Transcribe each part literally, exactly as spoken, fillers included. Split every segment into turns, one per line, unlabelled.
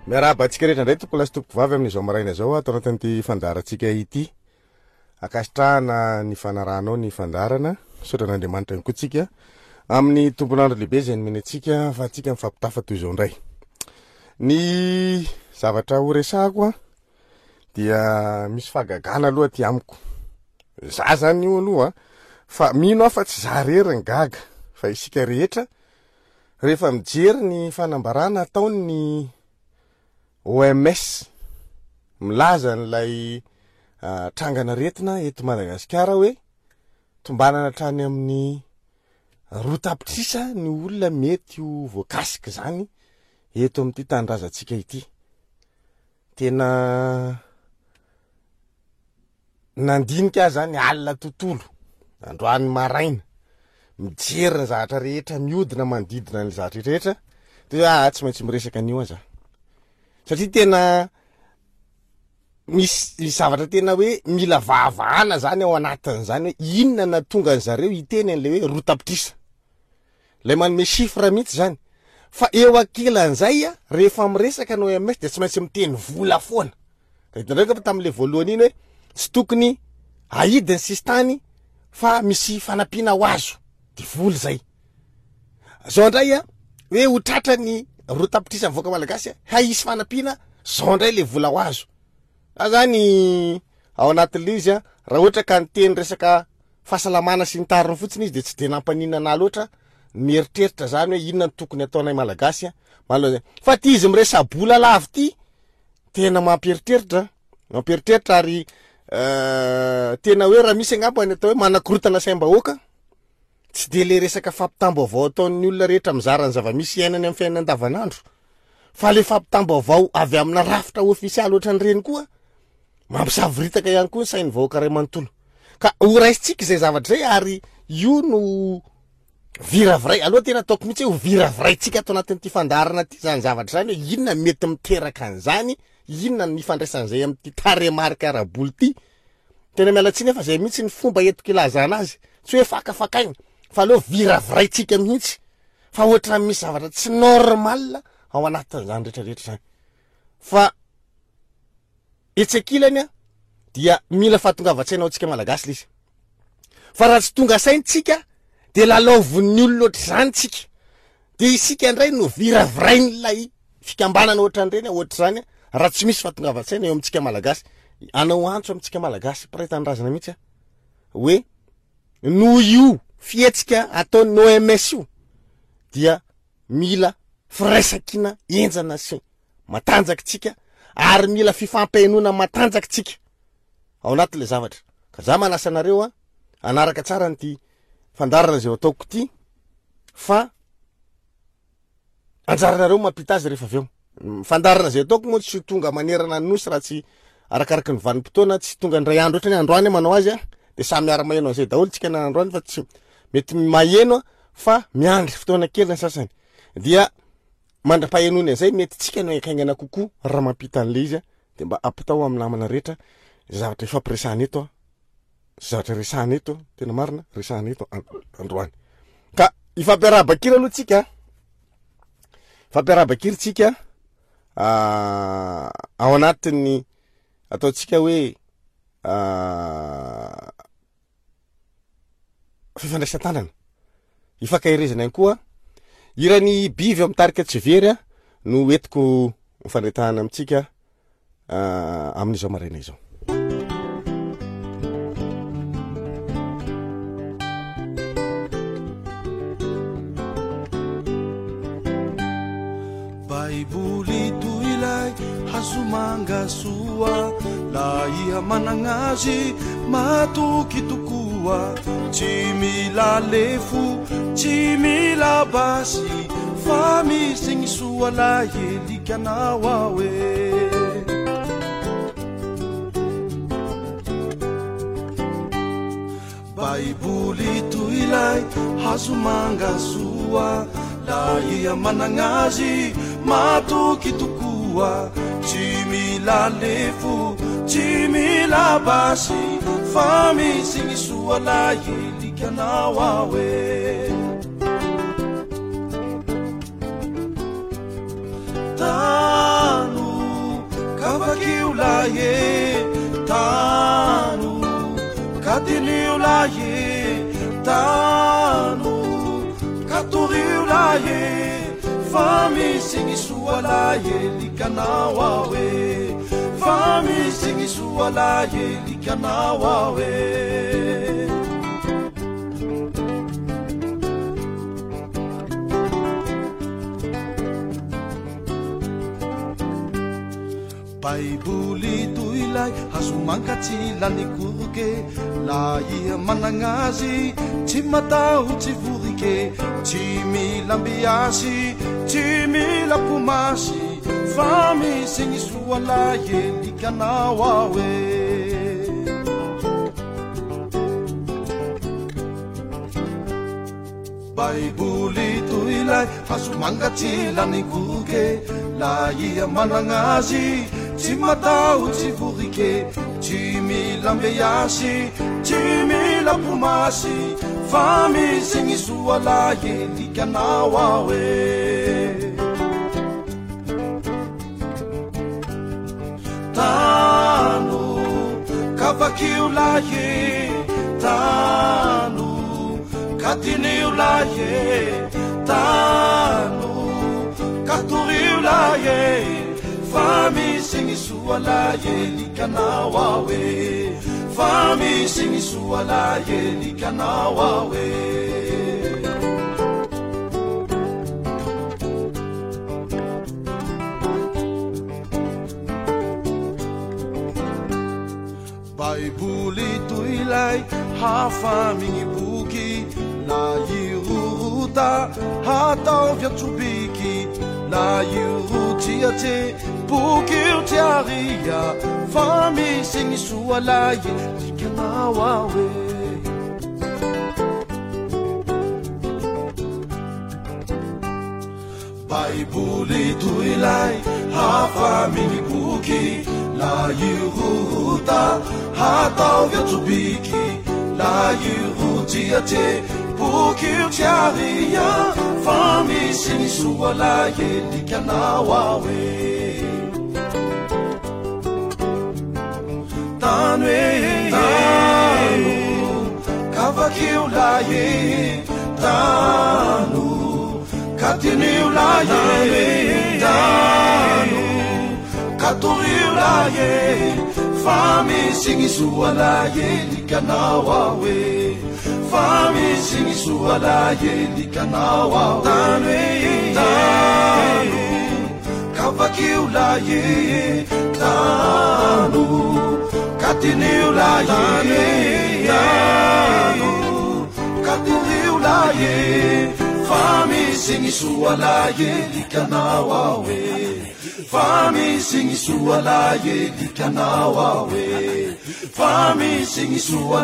Miarahaba antsika rehetra indray tompoko lahy sy tompoko vavy amin'izao maraina izao ato anatin'ity fandaharantsika ity. Ankasitrahana ny fanarahanao ny fandaharana. Misaotra an'Andriamanitra ihany koa tsika amin'ny tompon'andro lehibe izay nomeny antsika fa antsika mifampitafa toy izao indray. Ny zavatra ho resahako a dia misy fahagagana aloha aty amiko. Za zany io aloha fa mino aho fa tsy za irery ny gaga fa isika rehetra rehefa mijery ny fanambarana ataon'ny O M S milaza an'ilay trangan'aretina eto Madagasikara hoe tombanana hatrany amin'ny roa tapitrisa ny olona mety ho voakasika izany eto amin'ity tanindrazantsika ity. Tena nandinika aho zany alina tontolo, androany maraina, mijery ny zavatra rehetra mihodina manodidina ny zavatra rehetra, dia hoe ah, tsy maintsy miresaka an'io aho za. Satria tena misy zavatra tena hoe mila vahavahana zany ao anatin'izany hoe inona na tonga ny zareo hiteny an'ilay hoe roa tapitrisa. Ilay manome chiffre mihitsy zany. Fa eo ankilan'izay a, rehefa miresaka ny O M S dia tsy maintsy miteny vola foana. Ka hitanareo fa tamin'ilay voalohany iny hoe tsy tokony ahidy ny sisintany fa misy fanampiana ho azo. Dia vola izay. Zao indray a, hoe ho tratra ny roa tapitrisa mivoaka malagasy a, hay hisy fanampiana, zao indray le vola ho azo. Za zany ao anatin'ilay izy a, raha ohatra ka niteny resaka fahasalamana sy ny tariny fotsiny izy dia tsy de nampaninona anahy loatra mieritreritra zany hoe inona no tokony ataonay malagasy a, manoloana izay. Fa ty izy miresa-bola lava ty tena mampieritreritra, mampieritreritra ary, euh, tena hoe raha misy angamba ny atao hoe manakorotana saim-bahoaka, tsy de le resaka fampitam-baovao ataon'ny olona rehetra mizara ny zava-misy iainany amin'ny fiainana andavanandro, fa le fampitam-baovao avy amina rafitra ofisialy ohatran'ireny koa mampisavoritaka ihany koa ny sain'ny vahoaka iray manontolo. Ka ho raisintsika izay zavatra izay ary io no viraviray. Aloha tena ataoko mihitsy hoe ho viraviraintsika ato anatin'ity fandaharana ity zany zavatra izany hoe inona mety miteraka an'izany, inona ny ifandraisan'izay amin'ity tarehimarika ara-bola ity. Tena miala tsiny fa izay mihitsy ny fomba entiko ilazana azy, tsy hoe fakafakaina fa aleo viraviraintsika mihitsy fa ohatran'ny misy zavatra tsy normal ao anatin'izany rehetrarehetra izany. Fa etsy ankilany a dia mila fahatongavan-tsaina ho antsika malagasy ilay izy. Fa raha tsy tonga saina tsika dia lalaovin'ny olona ohatr'izany tsika, dia isika indray no viravirain'ilay fikambanana ohatran'ireny ohatr'izany raha tsy misy fahatongavan-tsaina eo amintsika malagasy. Hanao antso amintsika malagasy mpiray tanindrazana mihitsy aho hoe noho io fihetsika ataon'ny O M S io dia mila firaisankina henjana sy matanjaka tsika ary mila fifampihainoana matanjaka tsika ao anatin'ilay zavatra. Ka za manasa anareo a hanaraka tsara an'ity fandaharana izay ataoko ity fa anjaranareo mampita azy rehefa avy eo. Ny fandaharana izay ataoko moa tsy tonga manerana ny nosy raha tsy arakaraky ny vanim-potoana, tsy tonga indray andro ohatrany hoe androany aho manao azy a, dia samy miara-maheno an'izay daholo tsika na androany fa tsy mety maheno a, fa miandry fotoana kely ny sasany. Dia mandra-pahenoany an'izay mety tsika no haingaingana kokoa raha mampita an'ilay izy a, dia mba ampitao amin'ny namana rehetra zavatra ifampiresahana eto a, zavatra resahana eto, tena marina resahana eto an-, androany. Ka ifampiarahaba-kira aloha tsika, ifampiarahaba-kira tsika, ah, ao anatin'ny ataontsika hoe, ah, fifandraisan-tanana, ifankaherezana ihany koa. Hiran'ny Bivy ao amin'ny tarika Tsy Very a no entiko mifandray-tanana amintsika, ah, amin'izao maraina izao.
Baiboly toy ilay hazo manga soa, lahy manana azy matoky tokoa, tsy mila lefo, tsy mila basy, fa misy ny soa lahy elikanao aho e. Baiboly toy ilay hazo manga soa, lahy manana azy matoky tokoa, tsy mila lefo, tsy mila basy, fa misy ny soa lahy elikanao aho e. Tano lahy tano katorio lahy fa misy ny soa lahy likanao aho e fa misy ny soa lahy likanao aho e. Baiboly toy ilay hazo manga tsy lany koroke, lahy managna azy tsy matahotsy vorike, tsy mila ambiasy tsy mila pomasy, fa misy ny soa lahy likanao aho e. Baiboly toy ilay hazo manga tsy lany koroke, lahy managna azy tsy matahotsy vorike, tsy mila ambiasy tsy mila pomasy, fa misy ny soa lahy likanao aho e. Tano kavakio lahy tano katinio lahy tano katorio lahy fa misy ny soa lahy likanao aho e fa misy ny soa lahy likanao aho e. Baiboly toy ilay hafa migny boky, lahy rorota hataovy antsobiky, lahy rotsiatse boky io tsy aria, fa misy ny soa lahy likanao aho e. Baiboly toy ilay hafa migny boky, lahy rorota hataovy antsobiky, lahy rotsiatse boky io tsy aria, fa misy ny soa lahy likanao aho e. Tano e tano kavakio lahy tano katinio lahy tano katorio lahy fa misy ny soa lahy likanao aho e fa misy ny soa lahy likanao aho tano e tano kavakio lahy tano katinio lahy tano katorio lahy fa misy ny soa lahy likanao aho e fa misy ny soa lahy likanao aho e fa misy ny soa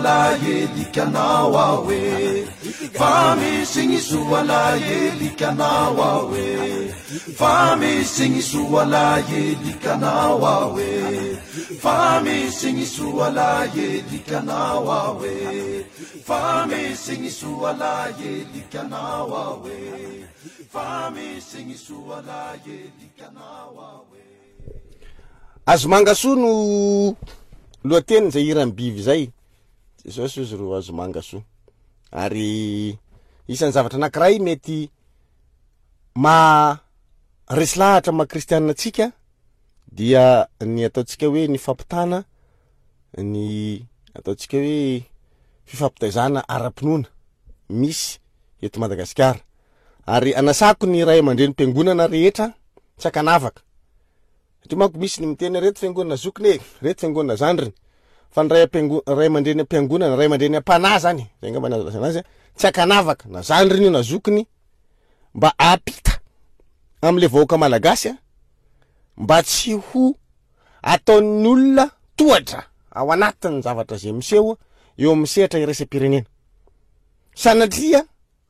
lahy likanao aho e fa misy ny soa lahy likanao aho e fa misy ny soa lahy likanao aho e fa misy ny soa lahy likanao aho e fa misy ny soa lahy likanao aho e fa misy ny soa lahy likanao aho e.
Hazo manga soa no lohateny izay hiran'ny Bivy izay. Jesosy izy ro hazo manga soa. Ary isan'ny zavatra anankiray mety ma resy lahatra maha kristianina antsika dia ny ataontsika hoe ny fampitana, ny ataontsika hoe fifampitaizana ara-pinoana misy eto Madagasikara. Ary anasako ny ray aman-drenim-piangonana rehetra tsy ankanavaka. Satria manko misy ny miteny reto fiangonana zokiny e, reto fiangonana zandriny. Fa ny ray am-piango-, ray aman-dreny am-piangonana, ray aman-dreny am-panahy zany, zay angamba ny azo lazaina azy, tsy ankanavaka na zandriny io na zokiny, mba hampita amin'ilay vahoaka malagasy a, mba tsy ho ataon'ny olona tohatra ao anatin'ny zavatra izay miseho eo amin'ny sehatra iraisam-pirenena. Sanatria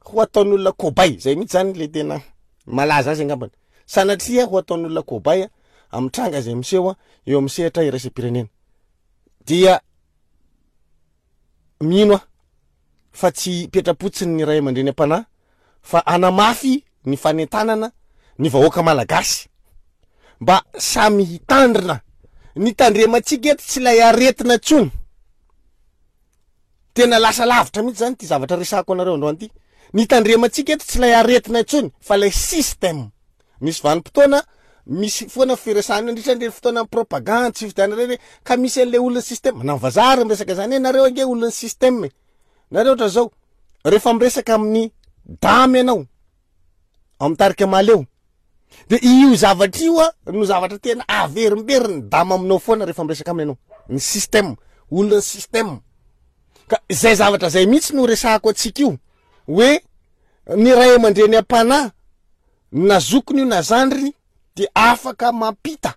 ho ataon'ny olona kobay, zay mihitsy zany le tena malaza azy angambany. Sanatria ho ataon'ny olona kobay amin'ny tranga izay miseho eo amin'ny sehatra iraisam-pirenena. Dia mino aho fa tsy hipetra-potsiny ny ray aman-dreny am-panahy fa hanamafy ny fanentanana ny vahoaka malagasy mba samy hitandrina. Ny tandremantsika eto tsy ilay aretina intsony Tena lasa lavitra mihitsy zany ty zavatra resahako anareo androany ty. Ny tandremantsika eto tsy ilay aretina intsony fa ilay système. Misy vanim-potoana misy foana firesahana indrindra ireny fotoana propagande sy fifidianana ireny ka misy an'ilay olon'ny système na ny vazaha ary miresaka zany hoe nareo ange olon'ny système e. Nareo ohatra zao rehefa miresaka amin'ny dame ianao ao amin'ny tarika Mahaleo de io zavatra io a no zavatra tena averimberin'ny dame aminao foana rehefa miresaka aminy ianao, ny système, olon'ny système. Ka zay zavatra zay mihitsy no resahako antsika io hoe ny ray aman-dreny am-panahy na zokiny io na zandriny de afaka mampita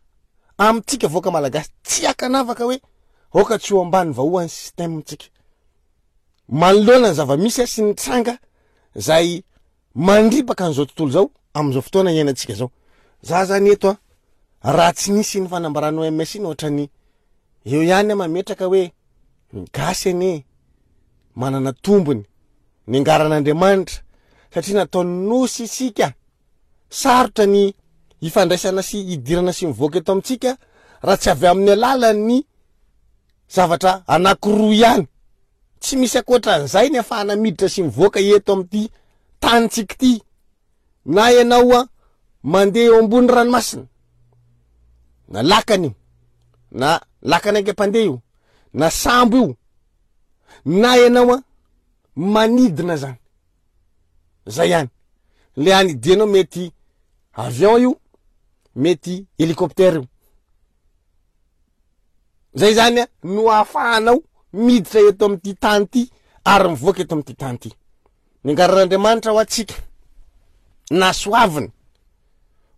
amintsika vahoaka malagasy tsy akanavaka hoe aoka tsy ho ambany vahoan'ny système tsika manoloana ny zava-misy sy ny tranga zay mandripaka an'izao tontolo zao amin'izao fotoana iainantsika zao. Za zany eto a raha tsy nisy ny fanambaran'ny O M S iny ohatrany eo ihany aho mametraka hoe ny gasy anie manana tombony ny angaran'Andriamanitra satria nataony nosy isika. Sarotra ny ifandraisana sy idirana sy mivoaka eto amintsika raha tsy avy amin'ny alalan'ny zavatra anankiroa ihany. Tsy misy ankoatran'izay ny ahafahana miditra sy mivoaka eto amin'ity tanintsika ity. Na ianao a mandeha eo ambony ranomasina, na lakana io, na lakana aingam-pandeha io, na sambo io, na ianao a manidina zany. Zay ihany. Le anidianao mety avion io, mety hélicoptère io. Zay zany a no ahafahanao miditra eto amin'ity tany ity ary mivoaka eto amin'ity tany ity. Ny angaran'Andriamanitra ho antsika na soaviny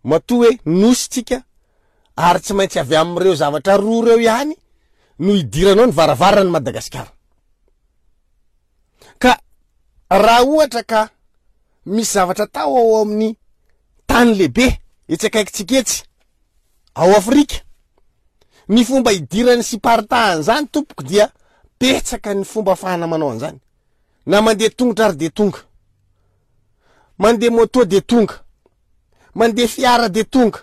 matoa hoe nosy tsika ary tsy maintsy avy amin'ireo zavatra roa ireo ihany no idiranao ny varavaran'ny Madagasikara. Ka raha ohatra ka misy zavatra atao ao amin'ny tany lehibe etsy akaikintsika etsy ao Afrika, ny fomba idirany sy iparitahan'izany zany tompoko dia betsaka ny fomba ahafahana manao an'izany. Na mandeha tongotra ary de tonga, mandeha moto de tonga, mandeha fiara de tonga,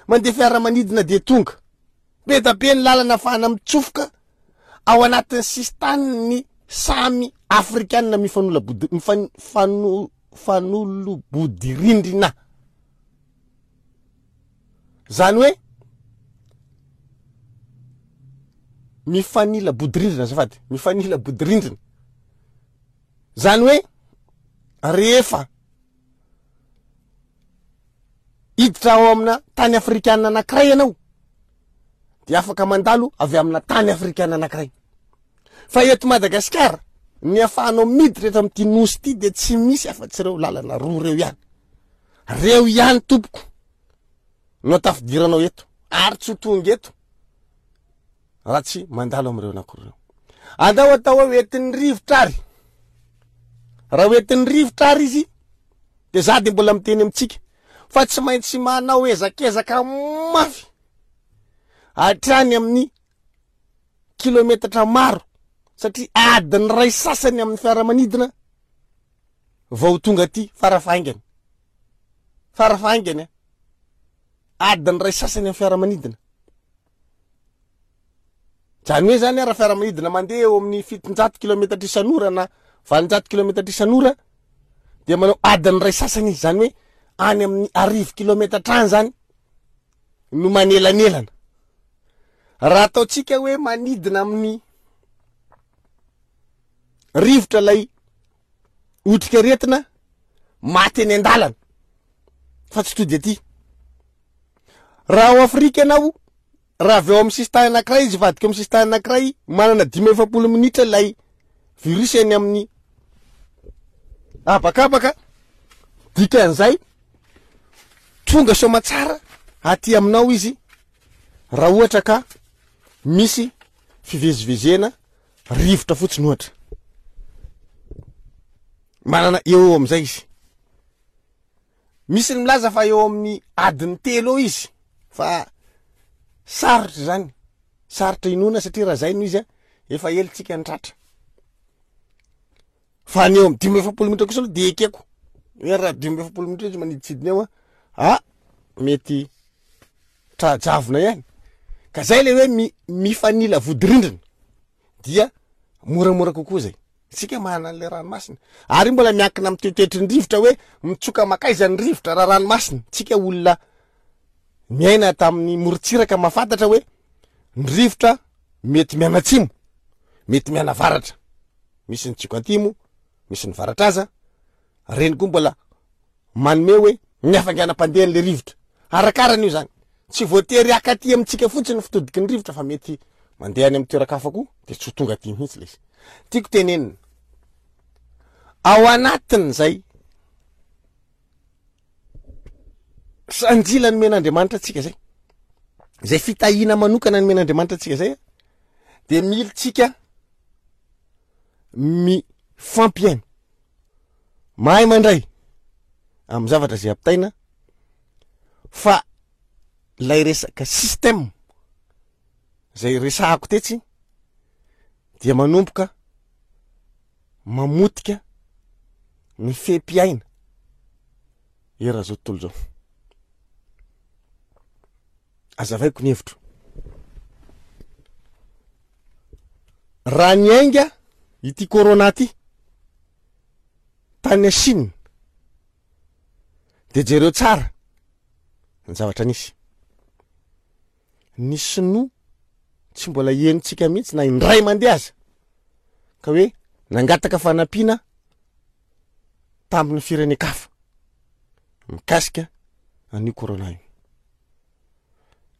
mandeha fiara manidina de tonga. Be da be ny lalana ahafahana mitsofoka ao anatin'ny sisintany samy afrikanina mifanolabody, mifan-, fano-, fanolobodirindrina. Zany hoe mifanila bodirindrina, azafady, mifanila bodirindrina. Zany hoe rehefa hiditra ao amina tany afrikanina anankiray ianao de afaka mandalo avy amina tany afrikanina anankiray. Fa eto Madagasikara ny ahafahanao miditra eto amin'ity nosy ity de tsy misy afa-tsy ireo lalana roa ireo ihany. Reo ihany tompoko no tafidiranao eto ary tsy ho tonga eto raha tsy mandalo amin'ireo anankiroa ireo. Andao atao hoe hoentin'ny rivotra ary. Raha hoentin'ny rivotra ary izy de za de mbola miteny amintsika fa tsy maintsy manao ezakezaka mafy hatrany amin'ny kilometatra maro satria adiny iray sasany amin'ny fiaramanidina vao tonga aty farafahaingany. Farafahaingany a. Adiny iray sasany amin'ny fiaramanidina. Zany hoe zany raha fiaramanidina mandeha eo amin'ny fitonjato kilometatra isan'ora na valonjato kilometatra isan'ora dia manao adiny iray sasany izy, zany hoe any amin'ny arivo kilometatra any zany no manelanelana. Raha ataontsika hoe manidina amin'ny rivotra ilay otrikaretina maty eny an-dalana fa tsy tody aty. Raha ao Afrika ianao, raha avy eo amin'ny sisintany anankiray izy vadika amin'ny sisintany anankiray, manana dimy amby efapolo minitra ilay virus eny amin'ny habakabaka, dikan'izay tonga soamantsara aty aminao izy raha ohatra ka misy fivezivezena rivotra fotsiny ohatra. Manana eo eo amin'izay izy. Misy ny milaza fa eo amin'ny adiny telo eo izy, fa sarotra zany, sarotra inoana satria raha zay no izy a, efa ela tsika ny tratra. Fa ny eo amin'ny dimy amby efapolo minitra kosa aloha de ekeko. Hoe raha dimy amby efapolo minitra izy maniditsidina eo a, ah, mety trajavona ihany. Ka zay le hoe mi-, mifanila vodirindrina dia moramora kokoa zay. Tsika manana an'ilay ranomasina. Ary mbola miankina amin'ny toetoetry ny rivotra hoe mitsoka makaiza ny rivotra raha ranomasina. Tsika olona miaina tamin'ny morontsiraka mahafantatra hoe ny rivotra mety mianatsimo, mety mianavaratra. Misy ny tsioka antimo, misy ny varatra aza. Reny koa mbola manome hoe ny hafainganam-pandehan'ilay rivotra. Arakarany io zany. Tsy voatery haka aty amintsika fotsiny ny fitodiky ny rivotra fa mety mandeha any amin'ny toeran-kafa koa de tsy ho tonga aty mihitsy ilay izy. Tiako tenenina. Ao anatin'izay sanjila nomen'Andriamanitra antsika zay, zay fitahiana manokana nomen'Andriamanitra antsika zay, de militsika mifampiaina, mahay mandray amin'ny zavatra zay ampitaina, fa lay resaka système zay resahako tetsy dia manomboka mamotika ny fepiaina eran'izao tontolo izao. Azavaiko ny hevitro. Raha niainga ity corona ty tany Chine de jereo tsara ny zavatra nisy. Ny sinoa tsy mbola henontsika mihitsy na indray mandeha aza ka hoe nangataka fanampiana tamin'ny firenen-kafa mikasika an'io corona io.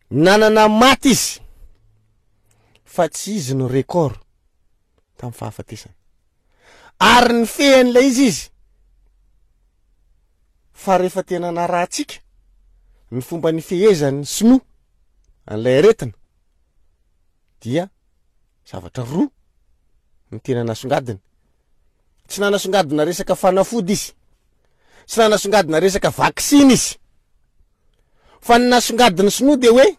Nanana maty izy fa tsy izy no record tamin'ny fahafatesana. Ary ny fehan'ilay izy izy fa rehefa tena narahantsika ny fomba nifehezan'ny sinoa an'ilay aretina dia zavatra roa ny tena nasongadiny. Tsy nanasongadina resaka fanafody izy, tsy nanasongadina resaka vaksiny izy, fa ny nasongadiny sinoa dia hoe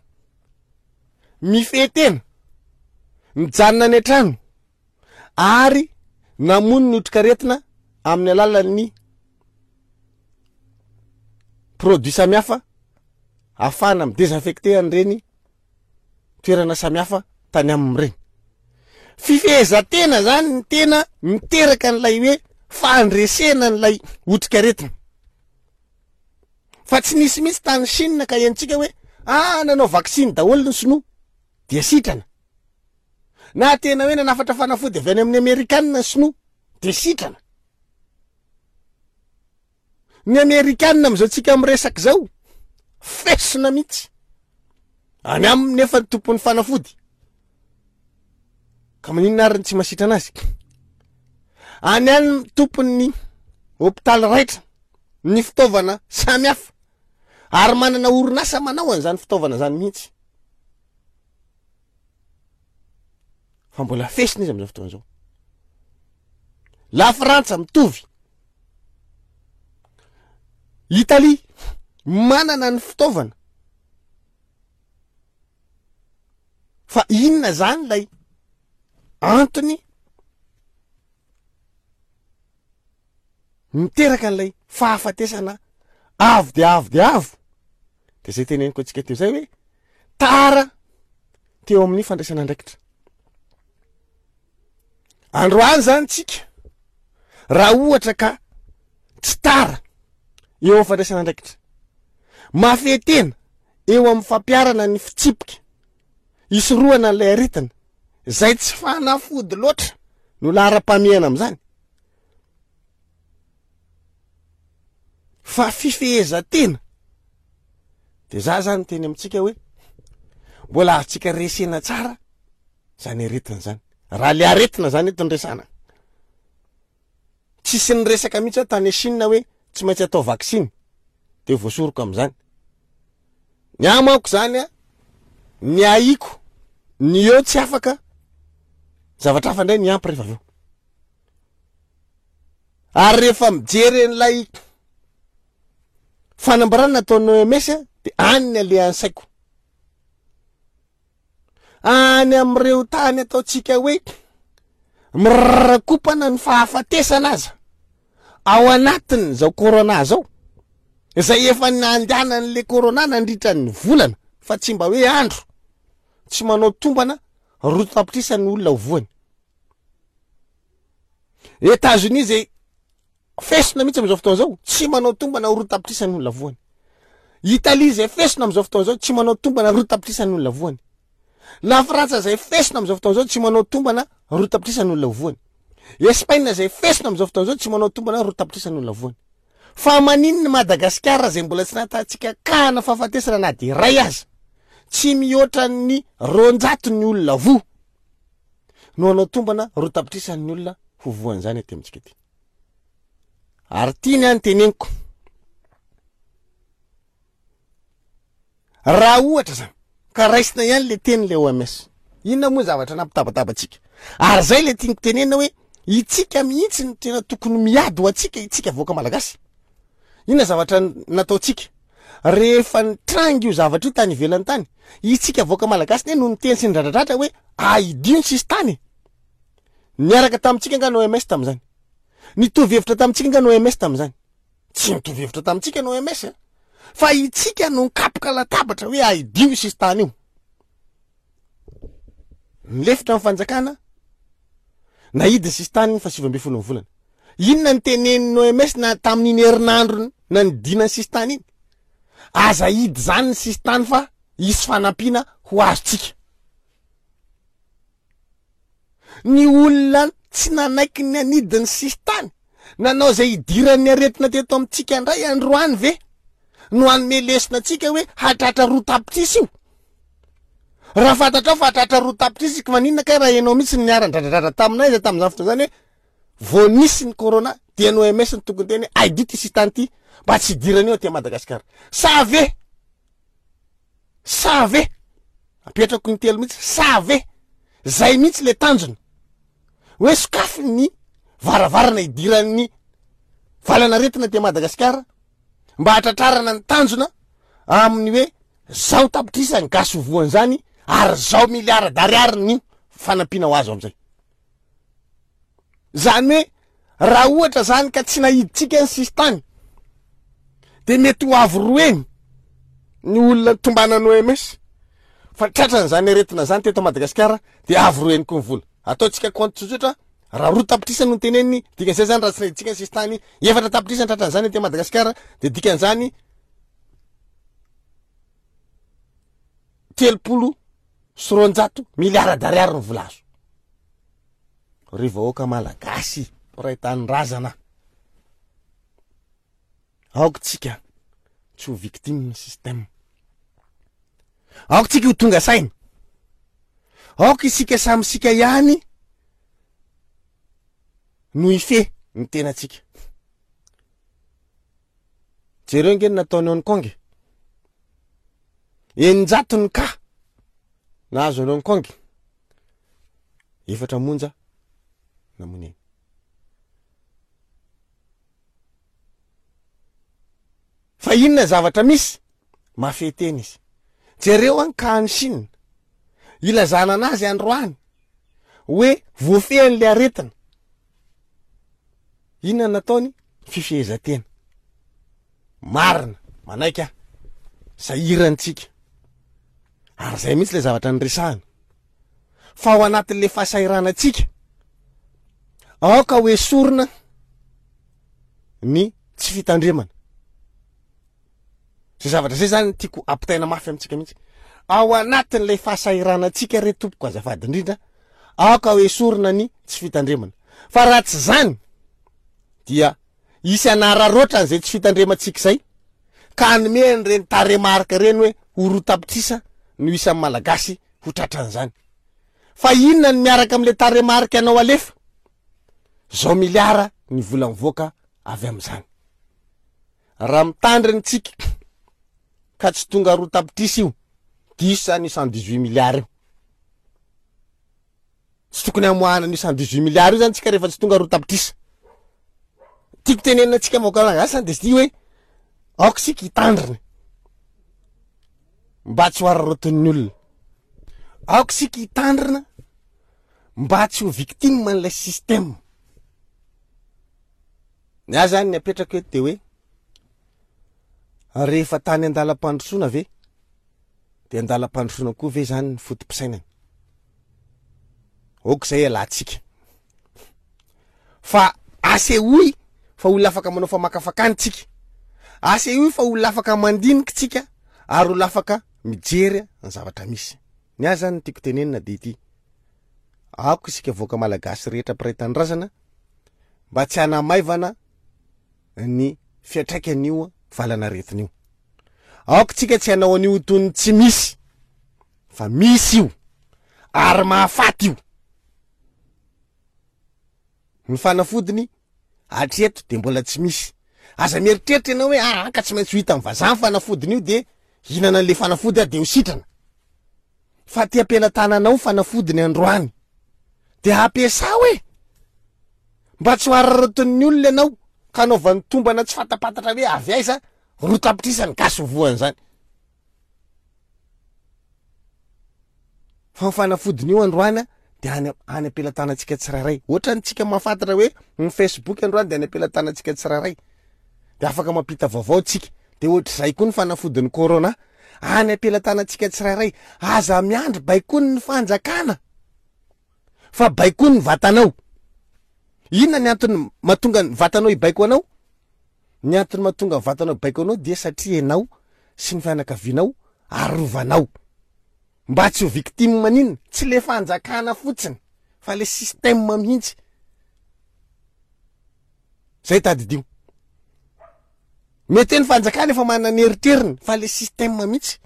mifehy tena, mijanona any an-trano ary namono ny otrikaretina amin'ny alalan'ny produit samihafa ahafahana midésinfecter an'ireny toerana samihafa tany amin'ireny. Fifehezan-tena zany ny tena miteraka an'ilay hoe fandresena an'ilay otrikaretina. Fa tsy nisy mihitsy tany Chine ka henontsika hoe ah nanao vaksiny daholo ny sinoa dia sitrana. Na tena hoe nanafatra fanafody avy any amin'ny Amerikanina ny sinoa dia sitrana. Ny Amerikanina amin'izao tsika miresaka izao fesina mihitsy. Any aminy nefa ny tompon'ny fanafody. Ka maninona ary ny tsy masitrana azy? Any any tompon'ny hopitaly raitra ny fitaovana samihafa ary manana orinasa manao an'izany fitaovana zany mihitsy. Fa mbola fesina izy amin'izao fotoana izao. La Frantsa mitovy. Italie manana ny fitaovana. Fa inona zany ilay antony miteraka an'ilay fahafatesana avo dia avo dia avo? De zay teneniko antsika teo zay hoe tara teo amin'ny fandraisana andraikitra. Androany zany tsika raha ohatra ka tsy tara eo amin'ny fandraisana andraikitra, mafehy tena eo amin'ny fampiharana ny fitsipika isorohana an'ilay aretina, zay tsy fanafody loatra no laharam-pahamehana amin'izany, fa fifehezan-tena. De za zany teny amintsika hoe mbola azontsika resena tsara zany aretina zany. Raha le aretina zany eto ny resana, tsisy niresaka mihitsy aho tany Chine hoe tsy maintsy atao vaksiny de voasoroko amin'izany. Ny ahy manko zany a, ny ahiko ny eo tsy afaka, zavatra hafa indray ny ampy rehefa avy eo. Ary rehefa mijery an'ilay fanambarana nataon'ny O M S de any ny alehan'ny saiko. Any amin'ireo tany ataontsika hoe mirarakopana ny fahafatesana aza ao anatin'izao corona zao, izay efa nandehanan'le corona nandritra ny volana fa tsy mba hoe andro, tsy manao tombana roa tapitrisa ny olona ho voany. États-Unis zay fesina mihitsy am'izao fotoana zao, tsy manao tombana roa tapitrisa ny olona voany. Italie zay fesina am'izao fotoana zao, tsy manao tombana roa tapitrisa ny olona voany. La Frantsa zay fesina am'izao fotoana zao, tsy manao tombana roa tapitrisa ny olona voany. Espagne zay fesina am'izao fotoana zao, tsy manao tombana roa tapitrisa ny olona voany. Fa maninona Madagasikara zay mbola tsy nahitantsika kahana fahafatesana na de ray aza, tsy mihoatra ny roanjato ny olona voa, no hanao tombana roa tapitrisa ny olona ho voan'izany aty amintsika aty? Ary tiany any teneniko, raha ohatra zany ka raisina ihany le teny le O M S, inona moa zavatra nampitabataba atsika? Ary zay le tiako tenenina hoe itsika mihitsy ny tena tokony miady ho atsika, itsika vahoaka malagasy. Inona zavatra nataotsika rehefa nitrangy io zavatra io tany ivelany tany? Itsika vahoaka malagasy ne no niteny sy ndradradratra hoe aidio ny sisy tany. Niaraka tamintsika nga ny O M S tam'izany? Nitovy hevitra tamintsika nga ny O M S tam'izany? Tsy nitovy hevitra tamintsika ny O M S a, fa itsika no nikapoka latabatra hoe aidio io sisy tany io. Nilefitra ny fanjakana, naidy ny sisy tany fa sivy amby folo ny volana. Inona ny tenenin'ny O M S na tamin'iny herinandro na nidina ny sisy tany iny? Aza hidy zany ny sisy tany fa hisy fanampiana ho azotsika. Ny olona tsy nanaiky ny anidy ny sisy tany, nanao zay hidiran'ny aretina teto amintsika indray androany ve no hanome lesona atsika hoe hatratra roa tapitrisa io? Raha fantatrao fa hatratra roa tapitrisa iky, maninona kay raha ianao mihitsy ny niara-dradradrara taminay zay tamin'izany fotoana zany hoe vao nisy ny corona, dia ny O M S ny tokony teny hoe aidio ty sisy tany ty mba tsy hidirana io aty Madagasikara? Sa ve, sa ve, apetrako ny telo mihitsy, sa ve zay mihitsy le tanjona hoe sokafy ny varavarana hidiran'ny valanaretina aty Madagasikara mba hatratrarana ny tanjona amin'ny hoe zao tapitrisa ny gasy ho voan'izany ary zao miliara d'ariary ny fanampiana ho azo am'izay zany? Hoe raha ohatra zany ka tsy nahiditsika ny sisy tany, de mety ho avy roeny ny olona tombanany O M S fa tratran'zany aretina zany teto Madagasikara, de avy roeny koa ny vola. Ataontsika compte tsotsotra, raha roa tapitrisa no teneniny, dikan'izay zany raha tsy nahiditsika ny sisy tany, efatra tapitrisa ny tratran'zany aty Madagasikara, de dikan'izany telopolo sy roanjato miliara d'ariary ny vola azo. Ry vahoaka malagasy mpiray tanindrazana, aoka tsika tsy ho victime système, aoka tsika ho tonga saina, aoka isika samy sika ihany no ife ny tenatsika. Jereo nge ny nataony Hong Kong, eninjato ny ka nahazo any Hong Kong, efatra monja namony eny. Fa inona zavatra misy mafeteny izy? Jereo any ka any Chine, ilazana anazy androany hoe voafehan'le aretina, inona nataony? Fifehezantena marina, manaiky ah sahirantsika ary zay mihitsy le zavatra nyresahana, fa ao anatin'le fahasahiranantsika aoka ho esorina ny tsy fitandremana. Zay zavatra zay zany tiako ampitaina mafy amintsika mihitsy ao anatin'lay fahasahiranantsika re tompoko, azafady indrindra, aoka ho esorina ny tsy fitandremana, fa raha tsy zany dia isy anararoatra an'izay tsy fitandremantsika zay ka anome an'ireny taremarika reny hoe ho roa tapitrisa no isan'ny malagasy ho tratran'izany. Fa inona ny miaraka am'le taremarika anao alefa? Zao miliara ny vola mivoaka avy am'izany. Raha mitandriny tsika ka tsy tonga roa tapitrisa io, diso zany io cent dix huit milliards io. Tsy tokony amoahana ny cent dix huit milliards io zany tsika rehefa tsy tonga roa tapitrisa. Tiako tenenina atsika vahoaka malagasy zany de sy ty hoe aoka isika hitandrina mba tsy ho araraotin'ny olona, aoka isika hitandrina mba tsy ho victime an'ilay système. Ny ahy zany ny apetrako eto de hoe rehefa tany an-dalam-pandrosoana ve de an-dalam-pandrosoana koa ve zany ny fotom-pisainana? Aoka zay alantsika. Fa asehoy fa olona afaka manao famakafakana tsika, asehoy fa olona afaka mandinika tsika, ary olona afaka mijery ny zavatra misy. Ny ahy zany no tiako tenenina de ity: aoka isika vahoaka malagasy rehetra mpiray tanindrazana mba tsy hanamaivana ny fiantraikan'io valanaretina io. Aoka tsika tsy hanao an'io toy ny tsy misy, fa misy io ary mahafaty io. Ny fanafodiny hatreto de mbola tsy misy. Aza mieritreritra ianao hoe ah, ka tsy maintsy ho hita amin'ny vazaha ny fanafodiny io de hihinana an'le fanafody aho de ho sitrana. Fa ty am-pelatananao fanafodiny androany de ampiasao e, mba tsy ho araraotin'ny olona ianao ka anaovan'ny tombana tsy fantapantatra hoe avy aiza roa tapitrisa ny gasy ho voan'izany. Fa ny fanafodiny io androany de any, any am-pelatanantsika tsirairay. Ohatran'ny tsika mahafantatra hoe ny Facebook androany de any am-pelatanantsika tsirairay, de afaka mampita vaovao tsika. De ohatr'izay koa ny fanafodin'ny corona any am-pelatanantsika tsirairay. Aza miandry baikoany ny fanjakana fa baikoany ny vatanao. Inona ny antony mahatonga ny vatanao hibaiko anao? Ny antony mahatonga ny vatanao hibaiko anao dia satria ianao sy ny fianakavianao arovanao mba tsy ho victime maninona. Tsy le fanjakana fotsiny fa le système mihitsy. Zay tadidio. Mety hoe ny fanjakana efa manana ny eritreriny fa le système mihitsy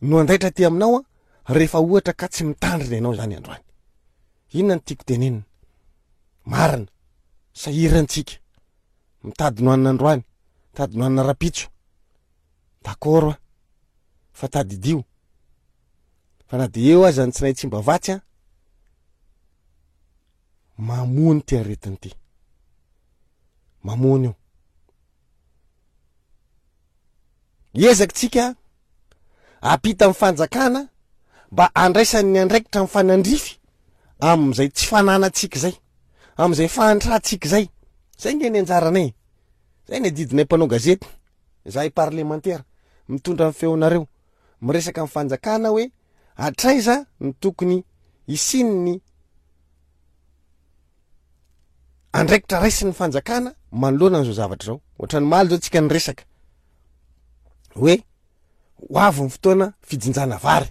no andaitra aty aminao a, rehefa ohatra ka tsy mitandrina ianao zany androany. Inona no tiako tenenina? Marina, sahirantsika mitady nohanina androany, mitady nohanina rapitso. D'accord a, fa tadidio fa na de eo aza ny tsinay tsy mba vatsy a, mamono ty aretina ty, mamono io. Ezaka tsika ampita amin'ny fanjakana mba andraisany ny andraikitra mifanandrify amin'izay tsy fananantsika izay, amin'izay fahantrantsika izay. Zay nge ny anjaranay, zay ny adidinay mpanao gazety, zahay parlemantera mitondra ny feonareo, miresaka amin'ny fanjakana hoe hatraiza ny tokony hisian'ny andraikitra raisin'ny fanjakana manoloana an'izao zavatra izao. Ohatran'ny omaly zao tsika niresaka hoe ho avy ny fotoana fijinjana vary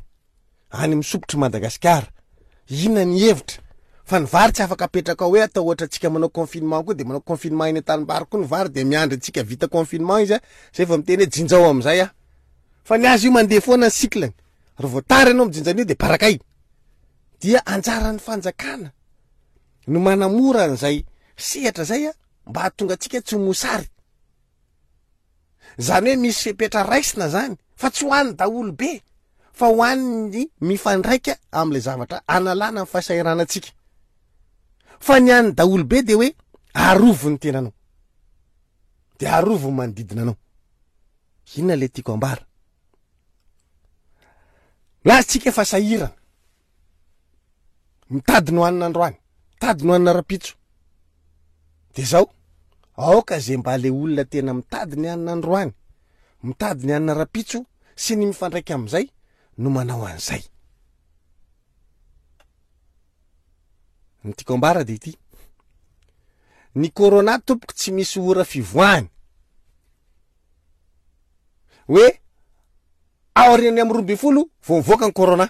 any amin'ny sopotry Madagasikara. Inona ny hevitra? Fa ny vary tsy afaka apetraka ao hoe atao ohatra antsika manao confinement koa de manao confinement eny an-tanimbary koa ny vary de miandry antsika vita confinement izy a, zay vao miteny hoe jinjao amin'izay aho. Fa ny azy io mandeha foana ny cycle-ny. Raha vao tara ianao mijinja an'io de barakay. Dia anjaran'ny fanjakana no manamora an'izay sehatra zay a, mba hahatonga antsika tsy ho mosary. Zany hoe misy fepetra raisina zany fa tsy ho an'ny daholo be, fa ho an'ny mifandraika amin'ilay zavatra analana ny fahasahiranantsika. Fa ny an'ny daholo be de hoe arovy ny tenanao, de arovy ny manodidina anao. Inona le tiako ambara? Milaza tsika fa sahirana, mitady no hanina androany, mitady no hanina rapitso. De zao, aoka zay mba le olona tena mitady ny hanina androany, mitady ny hanina rapitso sy ny mifandraika amin'izay no manao an'izay. Ny tiako ambara de ity: ny corona tompoko tsy misy ora fivoahany. Hoe aorian'ny amin'ny roa ambin'ny folo vao mivoaka ny corona,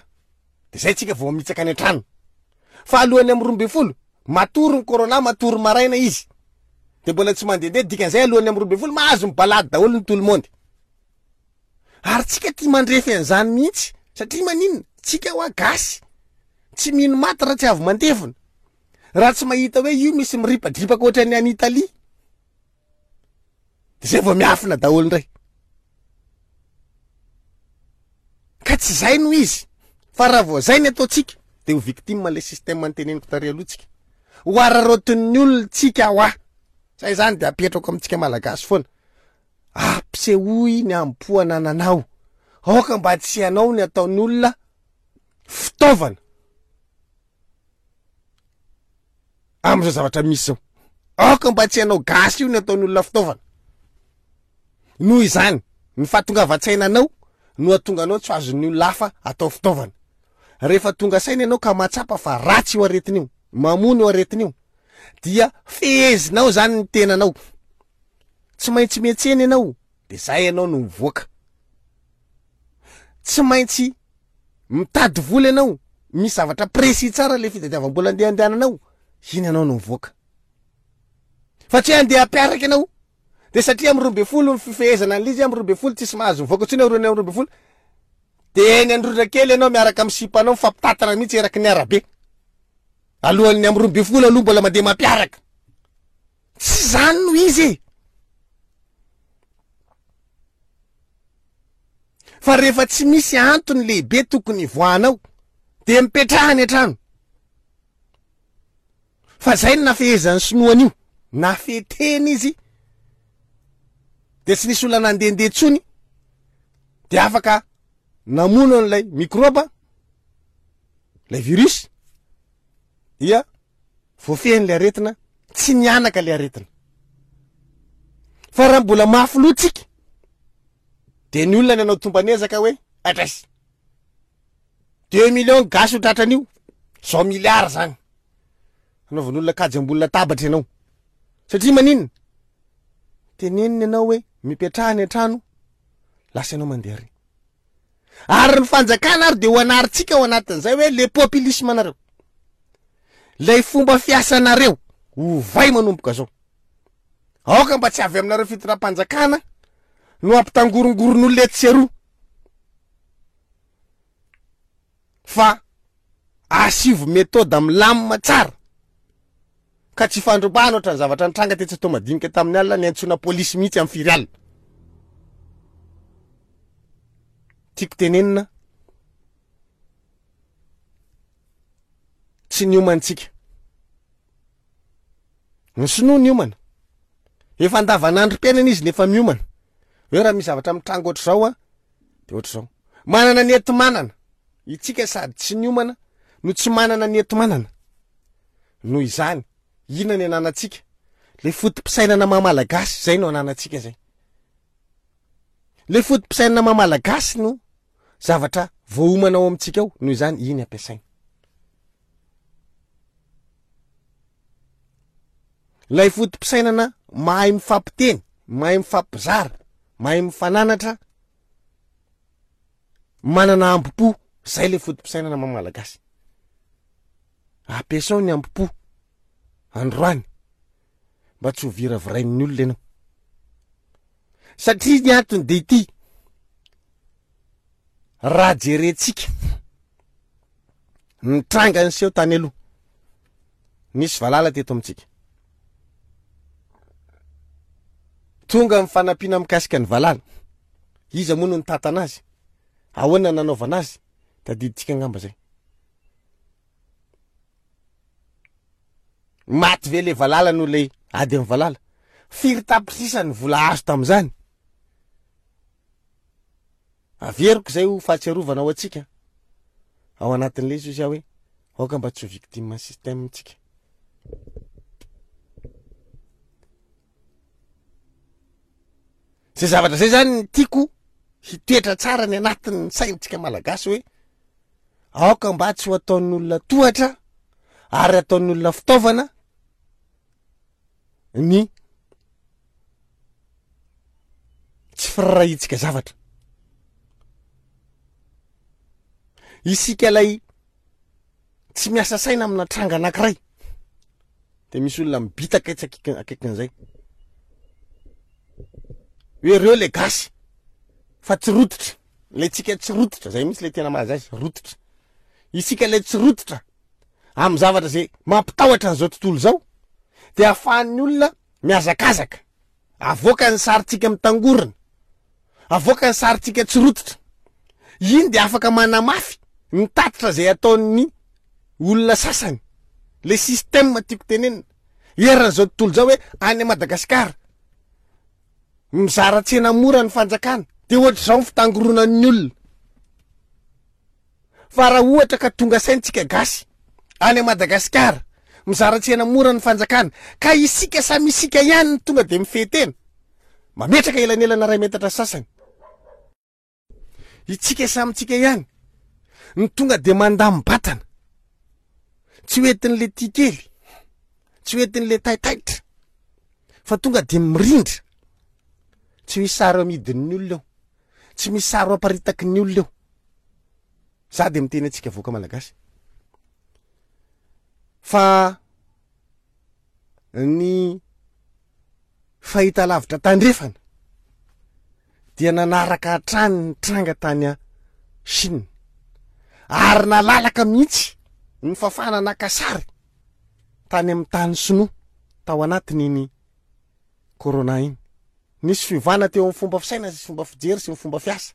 de zay tsika vao mitsaka any an-trano. Fa alohan'ny amin'ny roa ambin'ny folo matory ny corona, matory maraina izy, de mbola tsy mandehandeha. Dikan'izay alohan'ny amin'ny roa ambin'ny folo mahazo mibalady daholo ny tout le monde. Ary tsika tia mandrefy an'izany mihitsy, satria maninona? Tsika hoa gasy tsy mino maty raha tsy avy mandevona, raha tsy mahita hoe io misy miripadripaka ohatran'ny any Italie, de zay vao miafina daholo indray. Ka tsy zay no izy, fa raha vao zay ny ataontsika de ho victime le système anteneniko tary aloha tsika, ho araraotin'ny olona tsika hoa. Zay zany de apetrako amintsika malagasy foana: ampisehoy ny ampo anananao, aoka mba tsy hanao ny ataon'ny olona fitaovana amin'izao zavatra misy zao. Aoka mba tsy hanao gasy io ny ataon'ny olona fitaovana. Noho izany, ny fahatongavan-tsainanao no hahatonga anao tsy ho azon'ny olona hafa atao fitaovana. Rehefa tonga saina ianao ka mahatsapa fa ratsy io aretina io, Mamono io aretina io. Dia fehezinao zany ny tenanao. Tsy maintsy miantsena ianao, de zay ianao no mivoaka. Tsy maintsy mitady vola ianao, misy zavatra précis tsara le fitadiavam-bola andeha andehananao, iny ianao no mivoaka. Fa tsy hoe andeha hampiaraka ianao, de satria amin'ny roa ambin'ny folo ny fifehezana an'ilay izy, amin'ny roa ambin'ny folo tsisy mahazo mivoaka intsony aorian'ny amin'ny roa ambin'ny folo, de eny Androndra kely ianao miaraka amin'ny sipanao mifampitatana mihitsy eraky ny arabe. Alohan'ny amin'ny roa ambin'ny folo aloha mbola mandeha mampiaraka. Tsy zany no izy e. Fa rehefa tsy misy antony lehibe tokony hivoahanao, de mipetraha any an-trano. Fa zay no nafehezan'ny sinoa an'io. Nafetena izy, de tsy nisy olona nandehandeha intsony, de afaka namono an'ilay microbe, ilay virus, dia voafehin'ilay aretina, tsy nianaka ilay aretina. Fa raha mbola mafy loha tsika, de ny olona ny anao tombanezaka hoe atrasy deux millions gasy ho tratran'io, zao milliard zany. Anaovan'olona kajy ambony latabatra ianao. Satria maninona? Tenenina ianao hoe mipetraha any an-trano, lasa ianao mandeha ary. Ary ny fanjakana ary de ho anarintsika ao anatin'izay hoe le populisme anareo. Lay fomba fiasanareo ovay manomboka zao. Aoka mba tsy avy aminareo fitondram-panjakana no ampitangorongoron'olona etsy sy eroa. Fa asivo méthode milamina tsara. Ka tsy fandrobana ohatran'ny zavatra nitranga tetsy Toamadinika tamin'ny alina, niantsoana polisy mihitsy amin'ny firy alina. Tiako tenenina, tsy niomantsika. Ny sinoa niomana. Efa andavanandrom-piainana izy nefa miomana. Hoe raha misy zavatra mitranga ohatr'izao a, de ohatr'izao. Manana ny enti-manana. Itsika sady tsy niomana no tsy manana ny enti-manana. Noho izany, inona ny ananantsika? Le foto-pisainana maha malagasy, zay no ananantsika zay. Le foto-pisainana maha malagasy no zavatra voaomana ao amintsika ao, noho izany iny ampiasaina. Ilay foto-pisainana mahay mifampiteny, mahay mifampizara, mahay mifananatra, manana ambo-po, zay le foto-pisainana maha malagasy. Ampiasao ny ambo-po androany mba tsy ho viravirain'ny olona ianao. Satria ny antony de ity, raha jerentsika ny tranga niseho tany aloha, nisy valala teto amintsika. Tonga ny fanampiana mikasika ny valala. Iza moa no nitantana azy? Ahoana nanaovana azy? Tadidintsika angamba zay. Maty ve le valala noho le ady amin'ny valala? Firy tapitrisa ny vola azo tamin'izany? Averiko zay ho fahatsiarovana ho antsika. Ao anatin'ilay izy hoy aho hoe aoka mba tsy ho victime ny système tsika. Zay zavatra zay zany ny tiako hitoetra tsara ny anatin'ny saintsika malagasy hoe aoka mba tsy ho ataon'ny olona tohatra ary ataon'ny olona fitaovana ny tsy firaharahiantsika zavatra. Isika lay tsy miasa saina amina tranga anankiray de misy olona mibitaka etsy akaiky, akaikin'izay hoe reo le gasy fa tsy rototra, le tsika tsy rototra, zay mihitsy le tena mahaza azy, rototra. Isika le tsy rototra amin'ny zavatra zay mampitahotra an'izao tontolo izao de ahafahan'ny olona mihazakazaka, avoaka ny sarintsika mitangorona, avoaka ny sarintsika tsy rototra. Iny de afaka manamafy ny tatitra zay ataon'ny olona sasany, le système tiako tenenina eran'izao tontolo izao hoe any Madagasikara mizara tsena mora ny fanjakana de ohatr'izao ny fitangoronan'ny olona. Fa raha ohatra ka tonga saintsika gasy any Madagasikara mizara tsena mora ny fanjakana ka isika samy isika ihany no tonga de mifehy tena, mametraka elanelana iray metatra sasany, itsika samy tsika ihany no tonga de mandam-batana, Tsy hoentin'le tia kely, tsy hoentin'le taitaitra, fa tonga de mirindra. Tsy misy sary amidin'ny olona eo, tsy misy sary aparitaky ny olona eo. Za de miteny antsika vahoaka malagasy fa ny fahita lavitra tandrefana dia nanaraka hatrany ny tranga tany a Chine, ary nalalaka mihitsy ny fafana naka sary tany amin'ny tany sinoa tao anatin'iny corona iny. Nisy fiovana teo amin'ny fomba fisaina sy fomba fijery sy ny fomba fiasa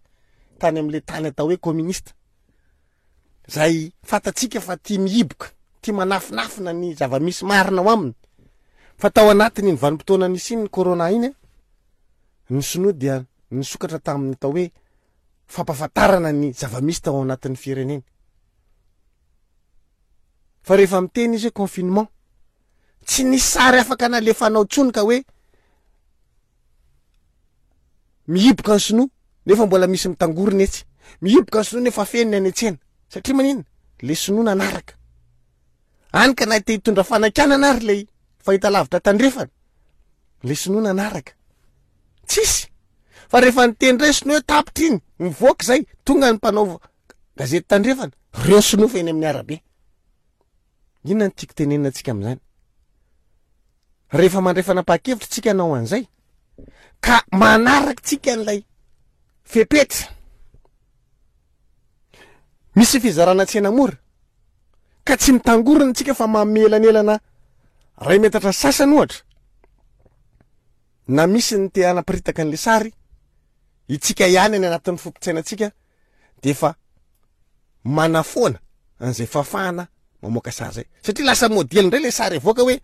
tany amin'le tany atao hoe communiste, zay fantatsika fa tia mihiboka, tia manafinafina ny zava-misy marina ao aminy. Fa tao anatin'iny vanim-potoana nisy iny corona iny, ny sinoa dia nisokatra tamin'ny atao hoe fampahafantarana ny zava-misy tao anatin'ny fireneny. Fa rehefa miteny izy hoe confinement, tsy nisy sary afaka nalefanao intsony ka hoe mihiboka ny sinoa nefa mbola misy mitangorona etsy, mihiboka ny sinoa nefa feno ny any an-tsena. Satria maninona? Le sinoa nanaraka. Any ka na te hitondra fanakianana ary le fahita lavitra tandrefana, le sinoa nanaraka. Tsisy. Fa rehefa niteny indray sinoa hoe tapitra iny, mivoaka izay, tonga ny mpanao gazety tandrefana, reo sinoa fa eny amin'ny arabe. Inona no tiako tenenina antsika amin'izany? Rehefa mandray fanapahan-kevitra tsika hanao an'izay, ka manaraka tsika an'ilay fepetra, misy fizarana tsena mora, ka tsy mitangorona tsika fa mamelanelana ray metatra sasany ohatra, na misy ny te hanaparitaka an'ilay sary, itsika ihany any anatin'ny fompitsainantsika de efa manafoana an'izay fahafahana mamoaka sary zay. Satria lasa modely indray le sary avoaka hoe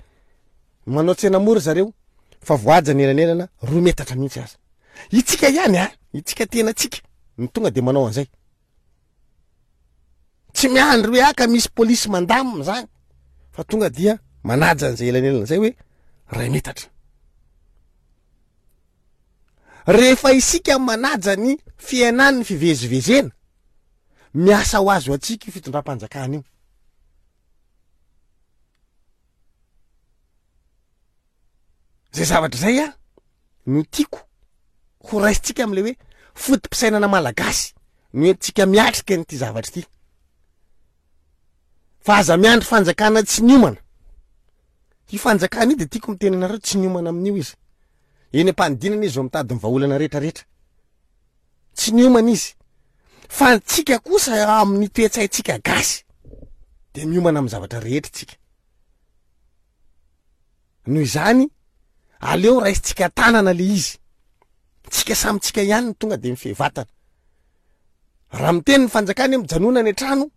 manao tsena mora zareo fa voaja ny elanelana roa metatra mihitsy aza. Itsika ihany a, itsika tena tsika no tonga de manao an'izay. Tsy miandry hoe aka misy polisy mandamina zany, fa tonga dia manaja an'izay elanelana zay hoe ray metatra. Rehefa isika manaja ny fiainan'ny fivezivezena, miasa ho azy ho antsika io fitondram-panjakana io. Zay zavatra zay a no tiako ho raisintsika amin'ilay hoe foto-pisainana malagasy no entintsika miatrika an'ity zavatra ity. Fa aza miandry fanjakana tsy niomana. Io fanjakana io dia tiako miteny anareo, tsy niomana amin'io izy. Eny am-panidinana izy vao mitady ny vahaolana rehetrarehetra. Tsy niomana izy. Fa antsika kosa amin'ny toe-tsaintsika gasy dia miomana amin'ny zavatra rehetra tsika. Noho izany, aleo raisintsika tanana le izy. Tsika samy tsika ihany no tonga dia mifehy vatana. Raha miteny ny fanjakana hoe mijanona any an-trano,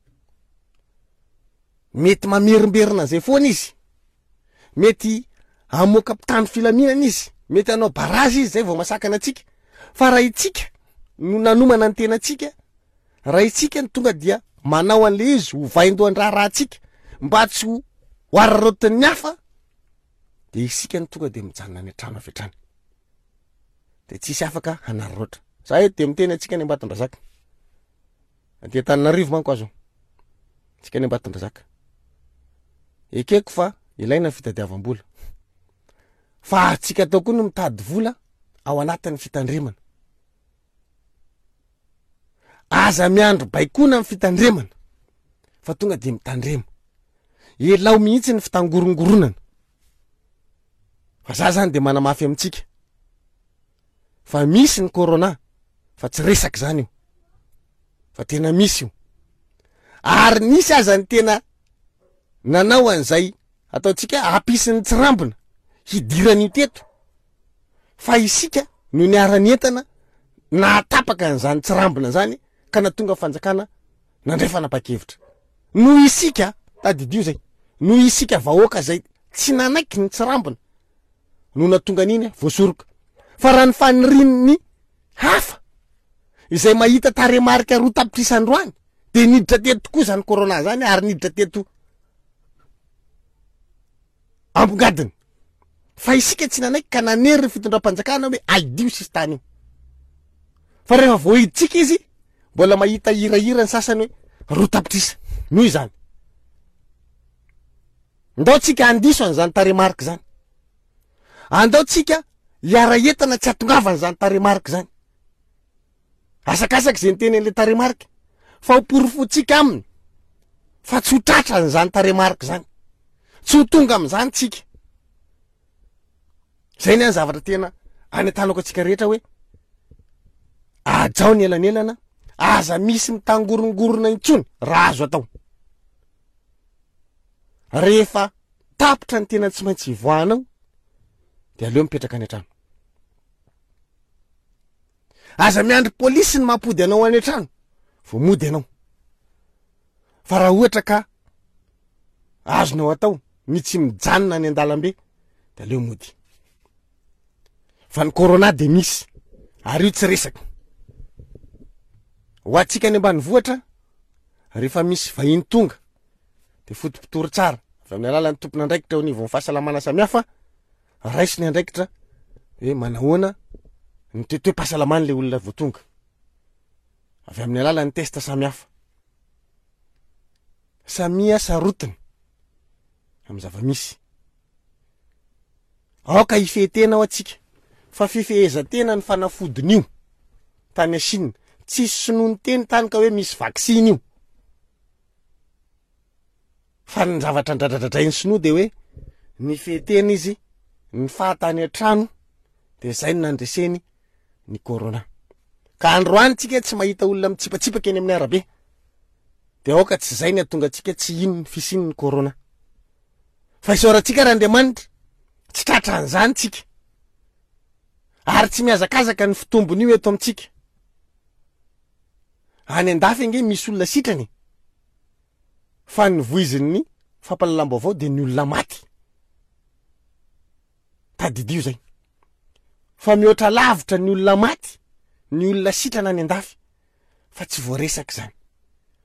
mety mamerimberina an'izay foana izy. Mety hamoaka mpitandro filaminana izy, mety hanao barazy izy zay vao masakana antsika. Fa raha itsika no nanomana ny tenantsika, raha itsika no tonga dia manao an'le izy ho vaindohan-draharahantsika mba tsy ho araraotin'ny hafa, dia isika no tonga dia mijanona any an-trano avy hatrany. Dia tsisy afaka hanararaotra. Za eto dia miteny antsika any Ambatondrazaka. Aty Antananarivo manko azo. Antsika any Ambatondrazaka. Ekeko fa ilaina ny fitadiavam-bola. Fa antsika atao koa no mitady vola ao anatin'ny fitandremana. Aza miandry baikoana amin'ny fitandremana, fa tonga dia mitandrema. Elao mihitsy ny fitangorongoronana. Fa za zany dia manamafy amintsika fa misy ny corona, fa tsy resaka zany io, fa tena misy io. Ary nisy aza ny tena nanao an'izay ataontsika hampisy ny tsirambina hidiran'io teto, fa isika no niara-nientana nahatapaka an'izany tsirambina zany ka natonga fanjakana nandray fanapahan-kevitra. Noho isika, tadidio zay, noho isika vahoaka zay tsy nanaiky ny tsirambina no natonga an'iny voasoroka. Fa raha ny fanirian'ny hafa izay mahita tarehimarika roa tapitrisa androany dia niditra teto tokoa zany corona zany, ary niditra teto ambongadiny. Fa isika tsy nanaiky ka nanery ny fitondram-panjakana hoe aidio sisintany io. Fa rehefa voahiditsika izy, mbola mahita hirahira ny sasany hoe roa tapitrisa. Noho izany, Ndao tsika andiso an'izany tarehimarika zany. Andao tsika hiara-entana tsy hatongavana zany tarehimarika zany. Asakasaky zay niteny an'le tarehimarika fa ho porofontsika aminy fa tsy ho tratra an'izany tarehimarika zany. Tsy ho tonga amin'izany tsika. Zay ny any zavatra tena any an-tanako antsika rehetra hoe ajao ny elanelana, aza misy mitangorongorona intsony raha azo atao. Rehefa tapitra ny tena tsy maintsy hivoahanao de aleo mipetraka any an-trano. Aza miandry polisy ny mampody anao any an-trano vao mody ianao. Fa raha ohatra ka azonao atao ny tsy mijanona any an-dalambe de aleo mody. Fa ny corona de misy ary io tsy resaka. Ho antsika any ambanivohitra rehefa misy vahiny tonga de fotopotory tsara avy amin'ny alalan'ny tompon'andraikitra eo anivon'ny fahasalamana samihafa, raiso ny andraikitra hoe manahoana ny toetoe-pahasalaman'ilay olona vao tonga avy amin'ny alalan'ny test samihafa. Samia sarotiny amin'ny zava-misy. Aoka hifehy-tena ao antsika fa fifehezan-tena ny fanafodin'io tany Chine. Tsisy sinoa niteny tany ka hoe misy vaksiny io. Fa ny zavatra ndradradradrain'ny sinoa de hoe nifehy-tena izy, nifaha tany an-trano, de zay no nandreseny ny corona. Ka androany tsika tsy mahita olona mitsipatsipaka eny amin'ny arabe. De aoka tsy zay ny hahatonga antsika tsy hino ny fisian'ny corona. Fa isaorantsika raha Andriamanitra tsy tratra an'izany tsika. Ary tsy mihazakazaka ny fitombon'io eto amintsika. Any an-dafy ange misy olona sitrany. Fa ny voizin'ny fampahalalam-baovao de ny olona maty. Tadidio zay. Fa mihoatra lavitra ny olona maty, ny olona sitrana any an-dafy. Fa tsy voaresaka zany.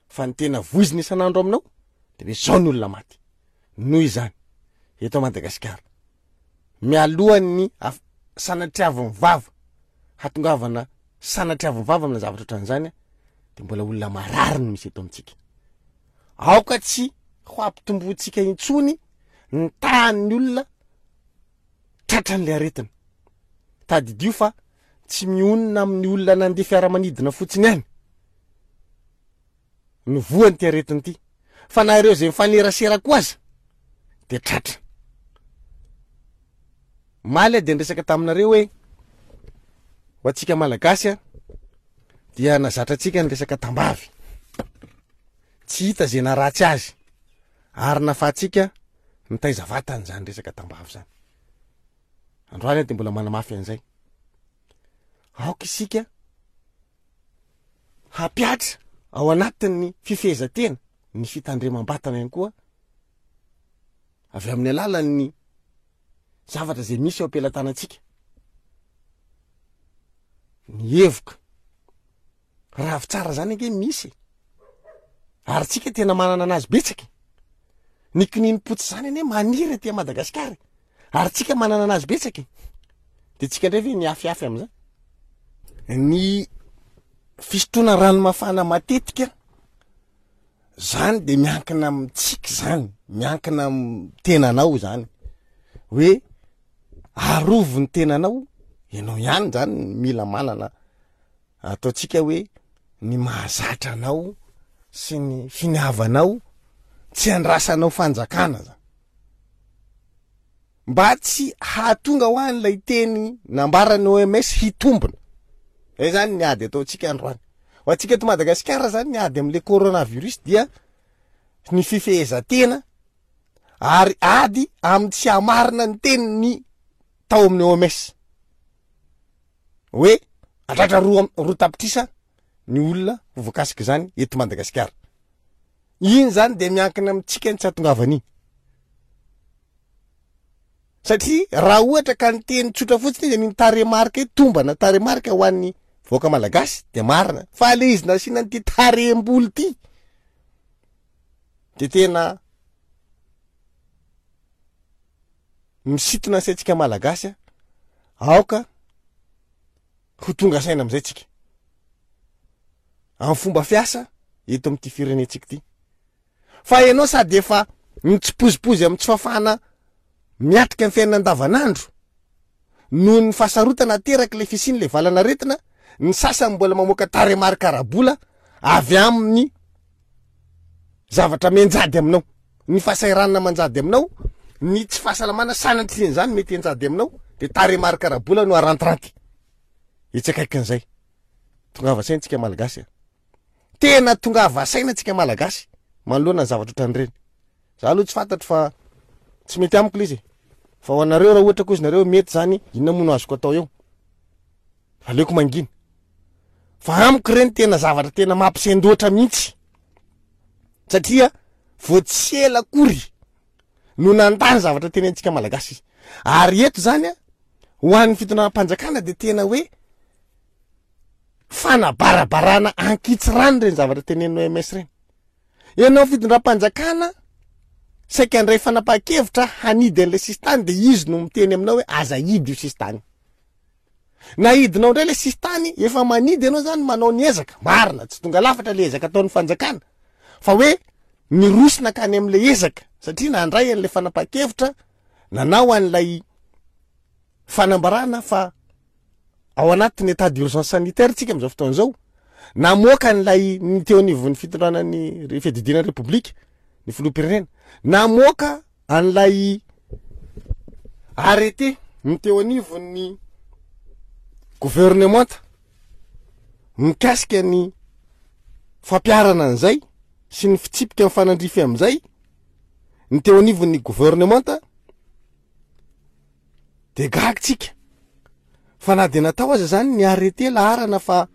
Fa ny tena voizina isan'andro aminao de hoe zao ny olona maty. Noho izany, eto Madagasikara, mialohan'ny af-, sanatriavin'ny vava, hatongavana sanatriavin'ny vava amina zavatra ohatran'izany, de mbola olona marary no misy eto amintsika. Aoka tsy ho ampitomboantsika intsony ny tahan'ny olona tratran'ilay aretina. Tadidio fa tsy mionona amin'ny olona nandeha fiaramanidina fotsiny ihany no voan'ity aretina ity, fa na ireo izay mifanerasera koa aza de tratra. Maly aho de niresaka taminareo hoe ho antsika Malagasy a dia nazatra antsika ny resaka tambavy. Tsy hita izay naharatsy azy ary nahafahantsika nitaiza vatana zany resaka tambavy zany. Androany aho de mbola manamafy an'izay. Aoka isika hampiatra ao anatin'ny fifehezan-tena ny fitandremam-batana ihany koa avy amin'ny alalan'ny zavatra izay misy eo am-pelatanantsika. Ny hevoka ravitsara zany ange misy ary tsika tena manana anazy betsaka. Ny kininim-potsy zany anie maniry aty Madagasikara ary tsika manana anazy betsaka. De tsika indray ve miafiafy am'izany? Ny fisotroana rano mafana matetika zany de miankina amintsika zany, miankina amin'ny tenanao zany. Hoe arovy ny tenanao, ianao ihany zany mila manana ataontsika hoe ny mahazatra anao sy ny finiavanao tsy andrasanao fanjakana zany. Mba tsy hahatonga ho an'ilay teny nambaran'ny O M S hitombina. Zay zany ny ady ataontsika androany. Ho antsika eto Madagasikara zany ny ady amin'ilay coronavirus dia ny fifehezan-tena ary ady amin'ny tsy hamarina ny teniny tao amin'ny O M S. Hoe andratra roa, roa tapitrisa ny olona ho voakasika izany eto Madagasikara. Iny zany dia miankina amintsika ny tsy hahatongavana iny. Satria raha ohatra ka ny teny tsotra fotsiny izy ny tarehimarika hoe tombana tarehimarika ho an'ny vahoaka malagasy dia marina. Fa le izy nasiana an'ity tarehim-bolo ity dia tena misintona ny saintsika malagasy a. Aoka ho tonga saina amin'izay tsika. Amin'ny fomba fiasa eto amin'ity firenentsika ity. Fa ianao sady efa Ny tsipozipozy amin'ny tsy fahafahana miatrika ny fiainana andavanandro noho ny fahasarotana ateraky le fisian'le valan'aretina, ny sasany mbola mamoaka tarehimarika ara-bola avy amin'ny zavatra mianjady aminao, ny fahasahiranana manjady aminao, ny tsy fahasalamana sanatrian'izany mety hianjady aminao, de tarehimarika ara-bola no arantiranty etsy akaikin'izay. Tongava saina tsika malagasy a. Tena tongava saina tsika malagasy manoloana ny zavatra ohatran'ireny. Za aloha tsy fantatro fa tsy mety amiko le izy e. Fa ho anareo raha ohatra koa izy nareo mety zany, inona moa no azoko atao eo? Aleoko mangina. Fa amiko reny tena zavatra tena mampisendoatra mihitsy. Satria vao tsy ela akory no nandany zavatra teny antsika malagasy izy. Ary eto zany a, ho an'ny fitondram-panjakana de tena hoe fanabarabarana ankitsirano reny zavatra tenenin'ny O M S reny. Ianao fitondram-panjakana saika handray fanapahan-kevitra hanidy an'ilay sisintany, de izy no miteny aminao hoe aza hidy io sisintany. Na hidinao indray ilay sisintany, efa manidy ianao zany manao ny ezaka. Marina, tsy tonga lafatra ilay ezaka ataon'ny fanjakana, fa hoe miroso nankany amin'ilay ezaka, satria nandray an'ilay fanapahan-kevitra, nanao an'ilay fanambarana fa ao anatin'ny état d'urgence sanitaire tsika amin'izao fotoana izao, namoaka an'ilay ny teo anivon'ny fitondrana ny fiadidiana ny Repoblika, ny filoham-pirenena, namoaka an'ilay arrêté ny teo anivon'ny gouvernementa mikasika ny fampiharana an'izay sy ny fitsipika mifanandrify amin'izay ny teo anivon'ny gouvernementa, de gaga tsika fa na de natao aza zany ny arrêté laharana fa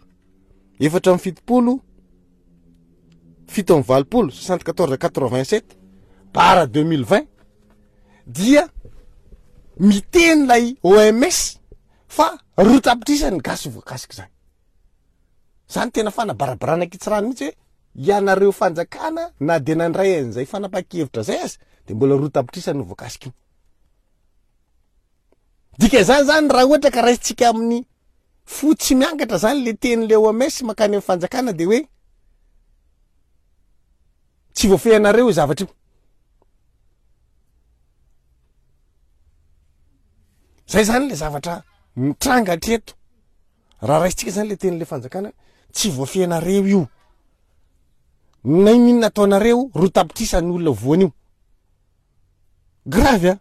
efatra amby fitopolo fito amby valopolo soixante quatorze quatre-vingt sept barre deux mille vingt dia miteny lay O M S fa roa tapitrisa ny gasy voakasika zany. Zany tena fanabarabarana kitsirano mihitsy hoe ianareo fanjakana na de nandray an'izay fanapahan-kevitra zay aza de mbola roa tapitrisa no voakasika io. Dika zany zany raha ohatra ka raisitsika amin'ny fo tsy miangatra zany le teny le O M S mankany amin'ny fanjakana de hoe tsy voafehinareo io zavatra io. Zay zany le zavatra mitranga hatreto. Raha raisitsika zany le teny le fanjakana, tsy voafehinareo io. Na inona ataonareo, roa tapitrisa ny olona voan'io. Grave a.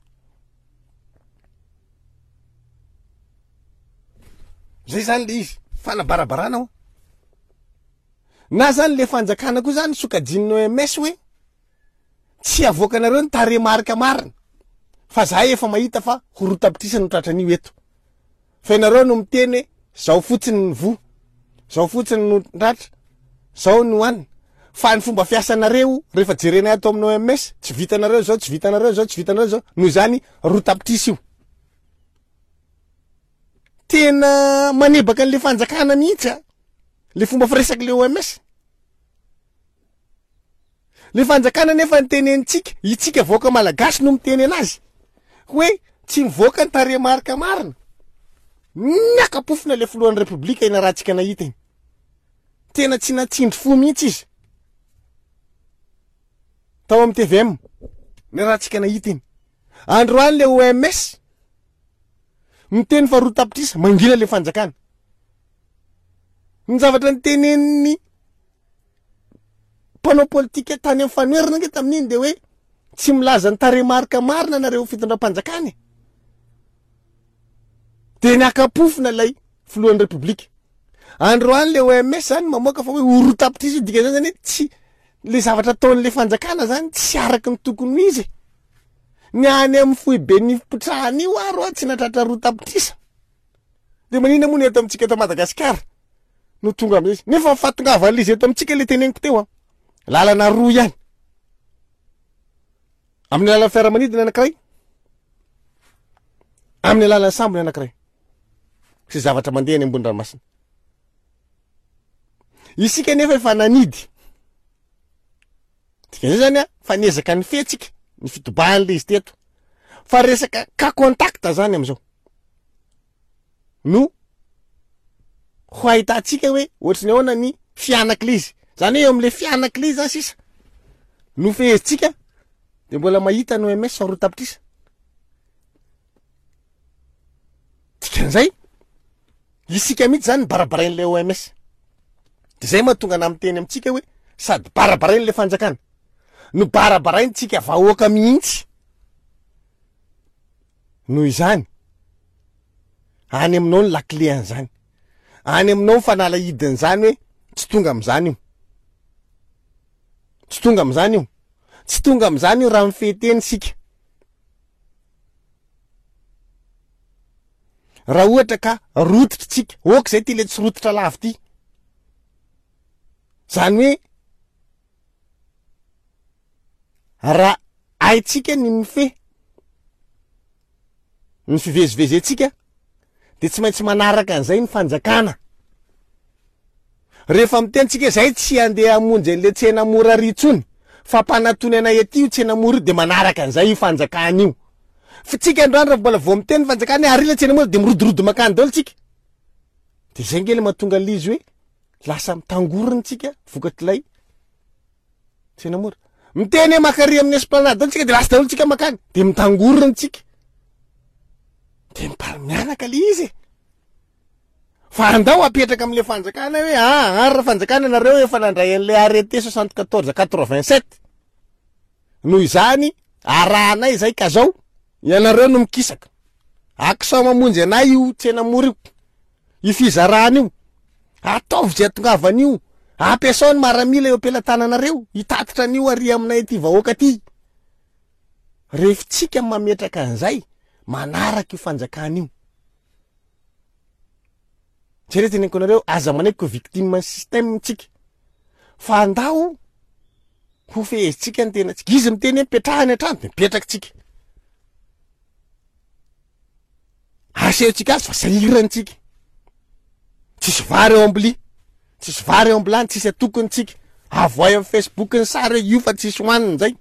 Zay zany le izy, fanabarabarana ao. Na zany le fanjakana koa zany sokajin'ny O M S hoe tsy avoakanareo ny tarehimarika marina, fa zahay efa mahita fa ho roa tapitrisa no tratran'io eto. Fa ianareo no miteny hoe zao fotsiny ny voa, zao fotsiny no tratra, zao no hohanina. Fa ny fomba fiasanareo rehefa jerenay ato amin'ny O M S, tsy vitanareo zao, tsy vitanareo zao, tsy vitanareo zao, noho izany roa tapitrisa io. Tena manebaka an'le fanjakana mihitsy a, le fomba firesak'le O M S. Le fanjakana nefa ny tenenitsika, itsika vahoaka malagasy no miteny anazy hoe tsy mivoaka ny tarehimarika marina. Niaka-pofona le filohan'ny Repoblika iny raha tsika nahita iny. Tena tsy natsindry fo mihitsy izy. Tao amin'ny T V M, ny raha tsika nahita iny. Androany le O M S miteny fa roa tapitrisa, mangina le fanjakana. Ny zavatra nitenen'ny mpanao politika tany amin'ny fanoherana ange tamin'iny de hoe tsy milaza ny tarehimarika marina nareo fitondram-panjakana e. De niaka-pofona ilay filohan'ny Repoblika. Androany le O M S zany mamoaka fa hoe ho roa tapitrisa io, dikan'izany zany hoe tsy le zavatra ataon'le fanjakana zany tsy araky ny tokony ho izy. Ny any amin'ny foiben'ny fipotrahana io aro a tsy nahatratra roa tapitrisa. De maninona moa ny eto amintsika eto Madagasikara no tonga amin'izay? Nefa ny fahatongavan'ilay izy eto amintsika le teneniko teo a, lalana roa ihany. Amin'ny alalan'ny fiaramanidina anankiray, amin'ny alalan'ny sambo ny anankiray. Sy zavatra mandeha any ambony ranomasina. Isika nefa efa nanidy. Dikan'izay zany a, fa niezaka ny fihetsika, ny fitobahan'ilay izy teto. Fa resaka cas contact zany am'izao no ho ahitantsika hoe ohatry ny ahoana ny fianak'ilay izy. Zany hoe eo amin'ilay fianak'ilay izy zany sisa no fehezintsika, De mbola mahita ny O M S fa roa tapitrisa. Dikan'izay, isika mihitsy zany barabarain'ilay O M S. De zay mahatonga ana miteny amintsika hoe sady barabarain'ilay fanjakana no barabaraintsika vahoaka mihitsy. Noho izany, any aminao ny lakile an'izany, any aminao ny fanalahidin'izany hoe tsy tonga am'izany io, tsy tonga am'izany io, tsy tonga am'izany io raha mifehy sika. Raha ohatra ka rototra tsika, ok zay ty le tsy rototra lavy ty, zany hoe raha haitsika ny mifehy ny fivezivezentsika de tsy maintsy manaraka an'izay ny fanjakana. Rehefa mitentsika zay tsy andeha hamonjy an'le tsena mora ry intsony fa mpanatony anay aty io tsena mora io, de manaraka an'izay io fanjakana io. Fa tsika androany raha mbola vao miteny fanjakana hoe ary le tsena mora de mirodorodo makany daholo tsika. De zay nge le mahatonga an'le izy hoe lasa mitangorona tsika vokatr'ilay tsena mora. Miteny hoe makary amin'ny esplanade daholo tsika de lasa daholo tsika makany, de mitangorona tsika. De mipary mianaka le izy e. Fa andao apetraka amin'le fanjakana hoe ah, ary raha fanjakana nareo efa nandray an'le arrêté soixante quatorze quatre vingt sept. Noho izany arahanay zay ka zao ianareo no mikisaka. Akisao mamonjy anay io tsena mora io. Io fizarana io. Ataovy zay atongavana io. Ampiasao ny maramila eo am-pelatananareo hitatitra an'io ary aminay aty vahoaka aty. Rehefa tsika mametraka an'izay manaraka io fanjakana io. Zay teneniko anareo, aza manaiky ko victime ny système tsika. Fa andao ho fehezitsika ny tenatsika. Izy miteny hoe mipetrahany an-trano de mipetraka tsika. Asehontsika azy fa sahirantsika. Tsisy vary eo am-bilia, tsisy vary eo am-bilany, tsisy atokony tsika. Avoay amin'ny Facebook ny sary hoe io fa tsisy hohanina zay.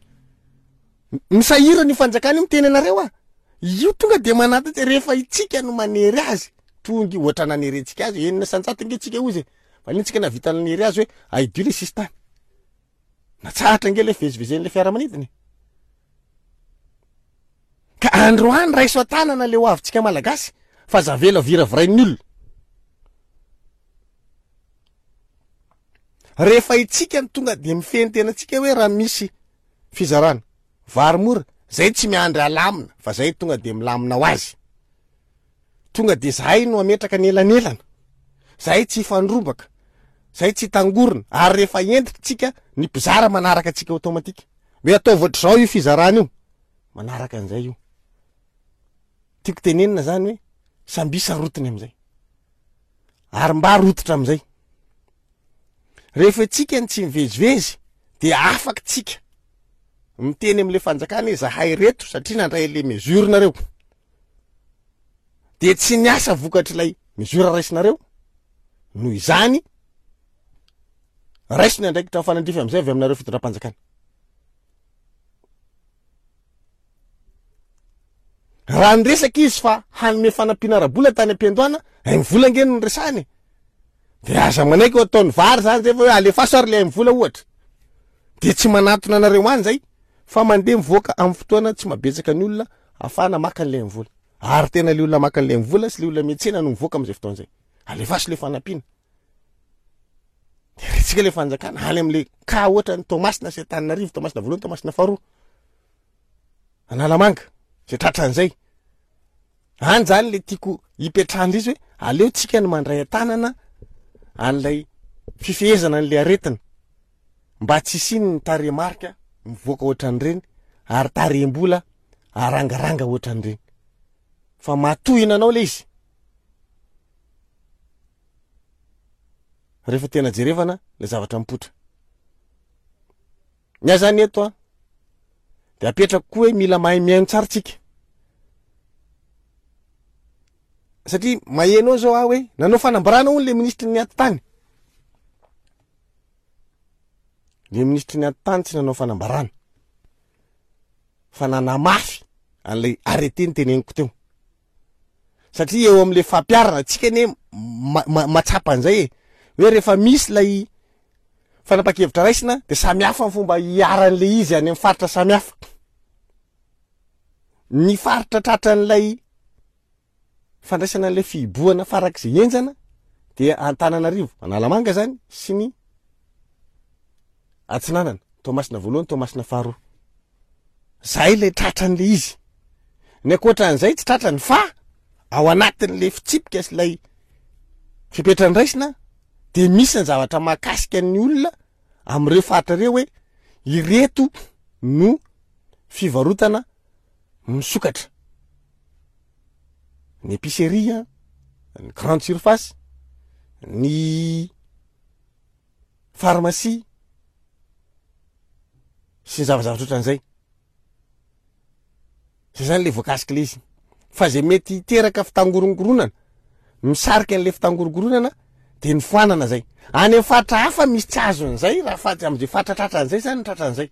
Misahirana io fanjakana io miteny anareo ah. Io tonga de manatitra rehefa itsika no manery azy. Tonga io ohatra nanerentsika azy enina isan-jato nge tsika ozy e. Fa iny tsika navita nanery azy hoe aidio le sisintany. Natsahatra nge le fivezivezen'le fiaramanidina. Ka androany raiso an-tanana le ho avintsika malagasy fa zavela viravirain'ny olona. Rehefa itsika no tonga de mifehy ny tenantsika hoe raha misy fizarana vary mora, zay tsy miandry alamina fa zay tonga de milamina ho azy. Tonga de zahay no ametraka ny elanelana. Zahay tsy hifandrombaka, zahay tsy hitangorona, ary rehefa entitra tsika ny mpizara manaraka antsika automatique. Hoe ataovy ohatr'izao io fizarana io, manaraka an'izay io. Tiako tenenina zany hoe samby sarotiny am'izay. Ary mba rototra am'izay. Rehefa tsika ny tsy mivezivezy de afaka tsika miteny amin'le fanjakana hoe zahay reto satria nandray le mesure nareo. De tsy niasa vokatr'ilay mesure raisinareo. Noho izany raiso ny andraikitra mifanandrify am'izay avy aminareo fitondram-panjakana. Raha niresaka izy fa hanome fanampiana ara-bola tany am-piandohana, ay mivola nge no niresahany. De aza manaiky ho ataon'ny vary zany zay fa hoe alefaso ary le ay mivola ohatra. De tsy manatona anareo any zay fa mandeha mivoaka amin'ny fotoana tsy mahabetsaka ny olona ahafahana maka an'le mivola. Ary tena le olona maka an'le mivola sy le olona miantsena no mivoaka amin'izay fotoana zay. Alefaso le fanampiana. De retsika le fanjakana any amin'le ka ohatra ny Toamasina sy Antananarivo, Toamasina voalohany, Toamasina faharoa. Analamanga, zay tratran'izay. Any zany le tiako hipetrahana izy hoe aleo tsika ny mandray an-tanana an'ilay fifehezana an'le aretina mba tsy hisiany ny tarehimarika mivoaka ohatran'ireny ary tarehim-bola arangaranga ohatran'ireny. Fa matohina anao le izy. Rehefa tena jerevana le zavatra mipoitra. Ny ahy zany eto a, de apetrako koa hoe mila mahay mihaino tsara tsika. Satria maheno ao zao aho hoe nanao fanambarana hono le ministry ny atitany. Le ministry ny atitany tsy nanao fanambarana fa nanamafy an'ilay arrêté ny teneniko teo. Satria eo amin'le fampiharana tsika anie ma-, ma-, mahatsapa an'izay e. Hoe rehefa misy ilay fanapahan-kevitra raisina de samy hafa ny fomba hiharan'le izy any amin'ny faritra samy hafa. Ny faritra tratran'ilay fandraisana an'ilay fihibohana farak'izay henjana dia Antananarivo, Analamanga zany sy ny Atsinanana, Toamasina voalohany, Toamasina faharoa. Zay ilay tratran'ilay izy. Ny ankoatran'izay tsy tratrany fa ao anatin'ilay fitsipika sy ilay fepetra ndraisina dia misy ny zavatra mahakasika ny olona amin'ireo faritra ireo hoe ireto no fivarotana misokatra. Ny épicerie, ny grande surface, ny pharmacie sy ny zavazavatra ohatran'izay. Zay zany le voakasika le izy. Fa zay mety hiteraka fitangorongoronana, misarika an'le fitangorongoronana de ny foanana zay. Any amin'ny faritra hafa misy tsy azon'izay raha fa am'izay faritra tratran'izay zany ny tratran'izay.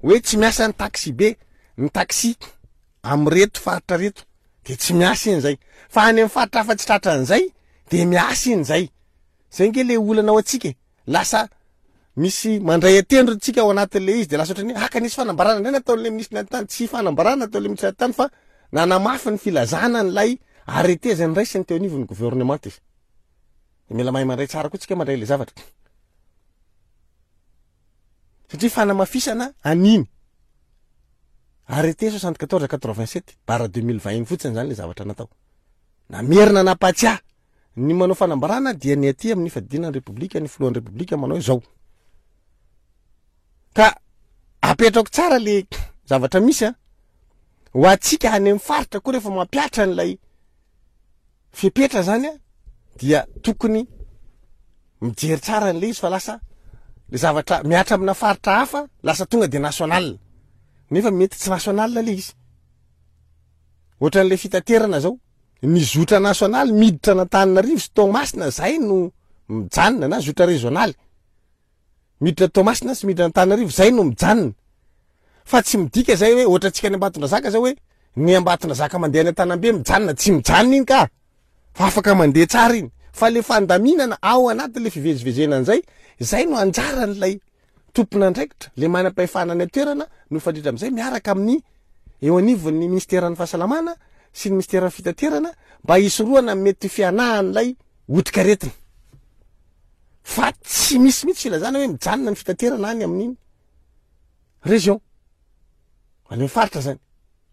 Hoe tsy miasa ny taxi be, ny taxi am'reto faritra reto de tsy miasa iny zay. Fa any amin'ny faritra hafa tsy tratran'izay de miasa iny zay. Zay nge le olana ao antsika e. Lasa misy mandray atendro tsika ao anatin'le izy de lasa ohatrany hoe haka nisy fanambarana indray nataon'le ministre ny atitany, tsy fanambarana nataon'le ministre ny atitany fa nanamafy ny filazana an'ilay arrêté zay niraisiny teo anivon'ny gouvernement izy. De mila mahay mandray tsara koa tsika mandray le zavatra. Satria fanamafisana an'iny arrêté soixante-quatorze quatre-vingt-sept barre deux mille vingt iny fotsiny zany le zavatra natao. Namerina nampatsiahy ny manao fanambarana dia ny aty amin'ny fadinan'ny Repoblika, ny filohan'ny Repoblika manao hoe zao. Ka apetrako tsara le zavatra misy a, ho antsika any amin'ny faritra koa rehefa mampiatra an'ilay fepetra zany a, dia tokony mijery tsara an'le izy fa lasa le zavatra miatra amina faritra hafa lasa tonga de national, nefa mety tsy national le izy. Ohatran'le fitaterana zao, ny zotra nasionaly miditra an'Antananarivo sy Toamasina zay no mijanona, na zotra régionaly miditra Toamasina sy miditra Antananarivo zay no mijanona. Fa tsy midika zay hoe ohatra antsika any Ambatondrazaka zao hoe ny Ambatondrazaka mandeha any Antanambe mijanona, tsy mijanona iny ka, fa afaka mandeha tsara iny. Fa le fandaminana ao anatin'le fivezivezena an'izay, zay no anjaran'ilay tompon'andraikitra, le manam-pahefana any an-toerana no mifandrindra amin'izay miaraka amin'ny eo anivon'ny ministeran'ny fahasalamana sy ny ministeran'ny fitaterana mba hisorohana mety fianahan'ilay otrikaretina. Fa tsy misy mihitsy filazana hoe mijanona ny fitaterana any amin'iny région, any amin'ny faritra zany,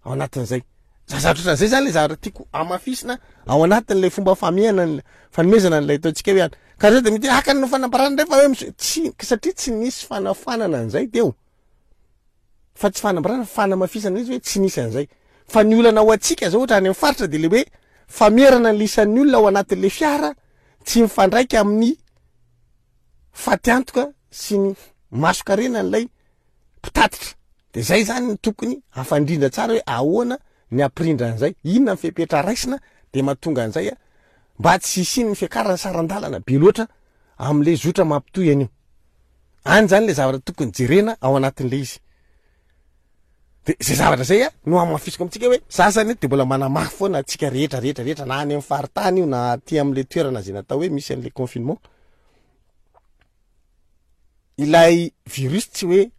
ao anatin'izay. Zavatra ohatran'izay zany le zavatra tiako amafisina ao anatin'ilay fomba famehana ny fanomezana an'ilay ataontsika hoe any. Ka zay de mety hoe haka ny fanambarana indray fa hoe misy, tsy, satria tsy nisy fanafanana an'izay teo. Fa tsy fanambarana, fanamafisana izy hoe tsy nisy an'izay. Fa ny olana ho antsika zao ohatra any amin'ny faritra de le hoe famerana ny isan'ny olona ao anatin'le fiara tsy mifandraika amin'ny fatiantoka sy ny masokarena an'ilay mpitatitra. De zay zany ny tokony hafandrindra tsara hoe ahoana ny ampirindra an'izay, inona ny fepetra raisina de mahatonga an'izay a, mba tsy hisian'ny fiakaran'ny saran-dalana be loatra amin'le zotra mampitohy an'io. Any zany le zavatra tokony jerena ao anatin'le izy. De zay zavatra zay a no hamafisiko amintsika hoe za zany de mbola manamafy foana antsika rehetra rehetra rehetra na any amin'ny faritany io na aty amin'le toerana zay natao hoe misy an'le confinement. Ilay virus tsy hoe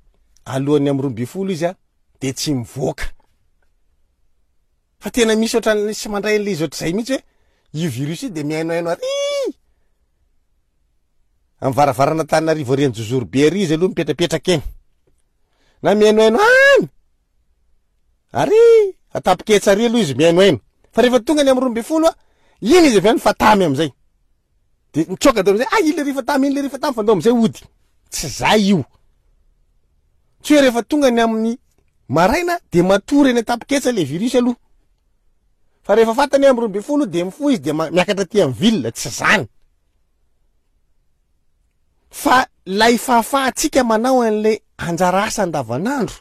alohan'ny amin'ny roa ambin'ny folo izy a de tsy mivoaka. Fa tena misy ohatran'ny sy mandray an'le izy ohatr'izay mihitsy hoe io virus io de mihainohaino ary amin'ny varavarana Antananarivo ary Anjozoro be ary izy aloha mipetrapetraka eny. Na mihainohaino any ary atapiketsa ary aloha izy mihainohaino. Fa rehefa tonga ny amin'ny roa ambin'ny folo a, iny izy avy any fa tamy amin'izay. De mitsoaka daholo amizay, ah, iny le rehefa tamy, iny le rehefa tamy, fa ndao amizay hody. Tsy zay io. Tsy hoe rehefa tonga ny amin'ny maraina de matory eny an-tapiketsa le virus aloha. Fa rehefa fantany amin'ny roa ambin'ny folo de mifoha izy de ma-, miakatra aty amin'ny ville, tsy zany. Fa lay fahafahantsika manao an'le anjara asa andavanandro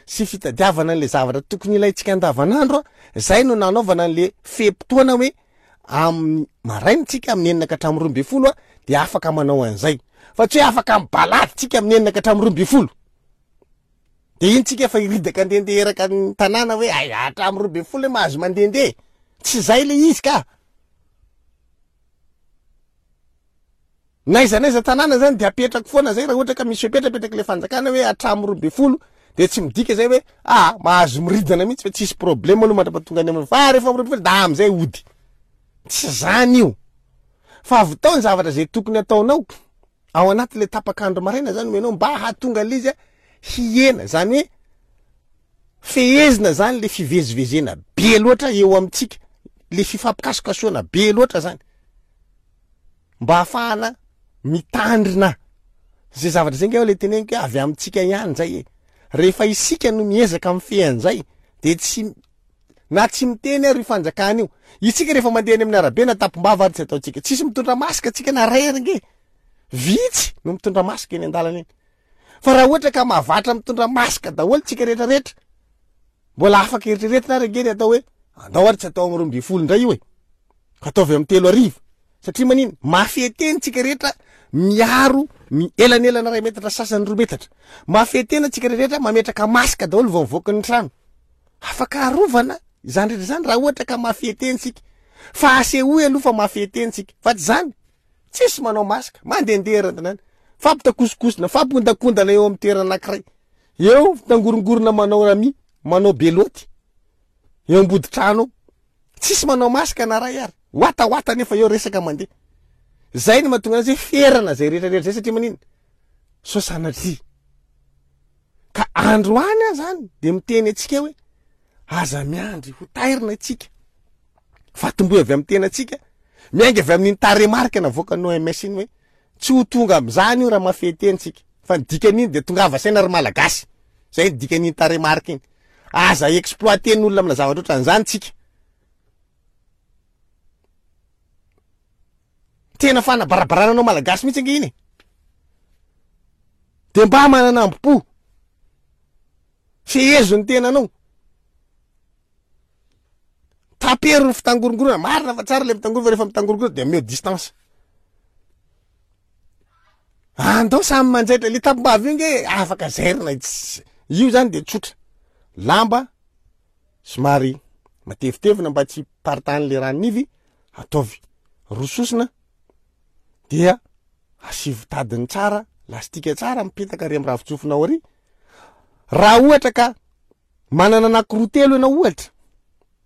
sy fitadiavana an'le zavatra tokony ilaintsika andavanandro a, zay no nanaovana an'le fe-potoana hoe amin'ny maraina tsika amin'ny enina ka hatramin'ny roa ambin'ny folo a, de afaka manao an'izay. Fa tsy hoe afaka mibalady tsika amin'ny enina ka hatramin'ny roa ambin'ny folo. De iny tsika fa hiridaka andehandeha eraka ny tanàna hoe ay, hatramin'ny roa ambin'ny folo hoe mahazo mandehandeha. Tsy zay le izy ka. N'aiza n'aiza tanàna zany de apetrako foana zay raha ohatra ka misy fepetra apetraky le fanjakana hoe hatramin'ny roa ambin'ny folo De tsy midika zay hoe ah mahazo miridana mihitsy fa tsisy problème aloha mandra-pahatonga any amin'ny fa rehefa miroa ambin'ny folo da am'izay ody. Tsy zany io. Fa avy tao ny zavatra zay tokony ataonao ao anaty le tapak'andro maraina zany omenao mba hahatonga an'le izy a hihena, zany hoe fehezina zany le fivezivezena be loatra eo amintsika, le fifampikasokasoana be loatra zany mba ahafahana mitandrina zay zavatra zay. Nge le teneniko hoe avy amintsika ihany zay e. Rehefa isika no miezaka mifehy an'izay de tsy na tsy miteny ary io fanjakana io. Isika rehefa mandeha any amin'ny arabe na tampom-bava ary tsy ataontsika, tsisy mitondra masque tsika na ray ary nge, vitsy no mitondra masque eny an-dalana eny. Fa raha ohatra ka mahavatra mitondra masque daholo tsika rehetrarehetra, mbola afaka eritreretina ary nge ny atao hoe andao ary tsy atao amin'ny roa ambin'ny folo indray io e, ataovy amin'ny telo arivo. Satria manino? Mafeteny tsika rehetra miaro ny elanelana ray metatra sasany roa metatra. Mafetena tsika rehetra mametraka masque daholo vao mivoaka ny trano. Afaka arovana izany rehetra izany raha ohatra ka mafeteny tsika. Fa asehoy aloha fa mafeteny tsika. Fa tsy zany, tsisy manao masque, mandehandeha eran-tanàna, fampitakosokosona, fampondakondana eo amin'ny toerana anankiray. Eo mitangorongorona manao rami, manao beloty eo ambody trano eo. Tsisy manao masque na ray ary. Watawata nefa eo resaka mandeha. Zay no mahatonga azy hoe ferana zay rehetrarehetra zay satria manino? Sao sanatria. Ka androany aho zany de miteny antsika hoe aza miandry ho tairina itsika. Fa tomboy avy amin'ny tenatsika, miainga avy amin'iny tarehimarika navoakan'ny O M S iny hoe tsy ho tonga amin'izany io raha mafeteny tsika. Fa ny dikan'iny de tongava saina ry Malagasy. Zay ny dikan'iny tarehimarika iny. Aza exploiter-n'olona amina zavatra ohatran'izany tsika. Tena fanabarabarana anao Malagasy mihitsy ange iny e. De mba manana ambo-po. Fehezo ny tenanao. Tapero ny fitangorongorona. Marina fa tsara le mitangorona, fa rehefa mitangorongorona de omeo distance. Andao samy manjaitra. Le tampom-bava io nge afaka zairina. Io zany de tsotra. Lamba somary matevitevina mba tsy hiparitahan'le ranon'ivy, ataovy roa sosona dia asivo tadiny tsara, lastika tsara mipetaka ary amin'ny ravin-tsofinao ary. Raha ohatra ka manana anankiroa telo ianao ohatra,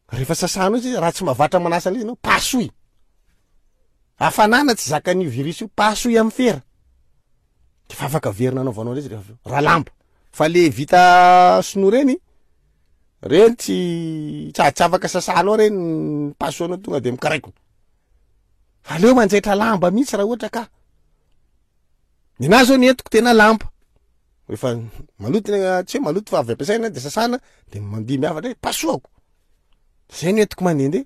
rehefa sasanao izy, raha tsy mahavatra manasa an'izy ianao, pasoy. Hafanana tsy zakan'io virus io, pasoy amin'ny fera. De fa afaka averina anaovanao an'izy rehefa avy eo. Raha lamba. Fa le vita sinoa reny, reny tsy, tsy, tsy afaka sasanao reny, pasoanao tonga de mikaraikona. Aleo manjaitra lamba mihitsy raha ohatra ka. Ny anahy zao ny entiko tena lamba. Rehefa maloto, tsy hoe maloto fa avy ampiasaina de sasana, de mandeha miavatra hoe pasoako. Zay no entiko mandehandeha.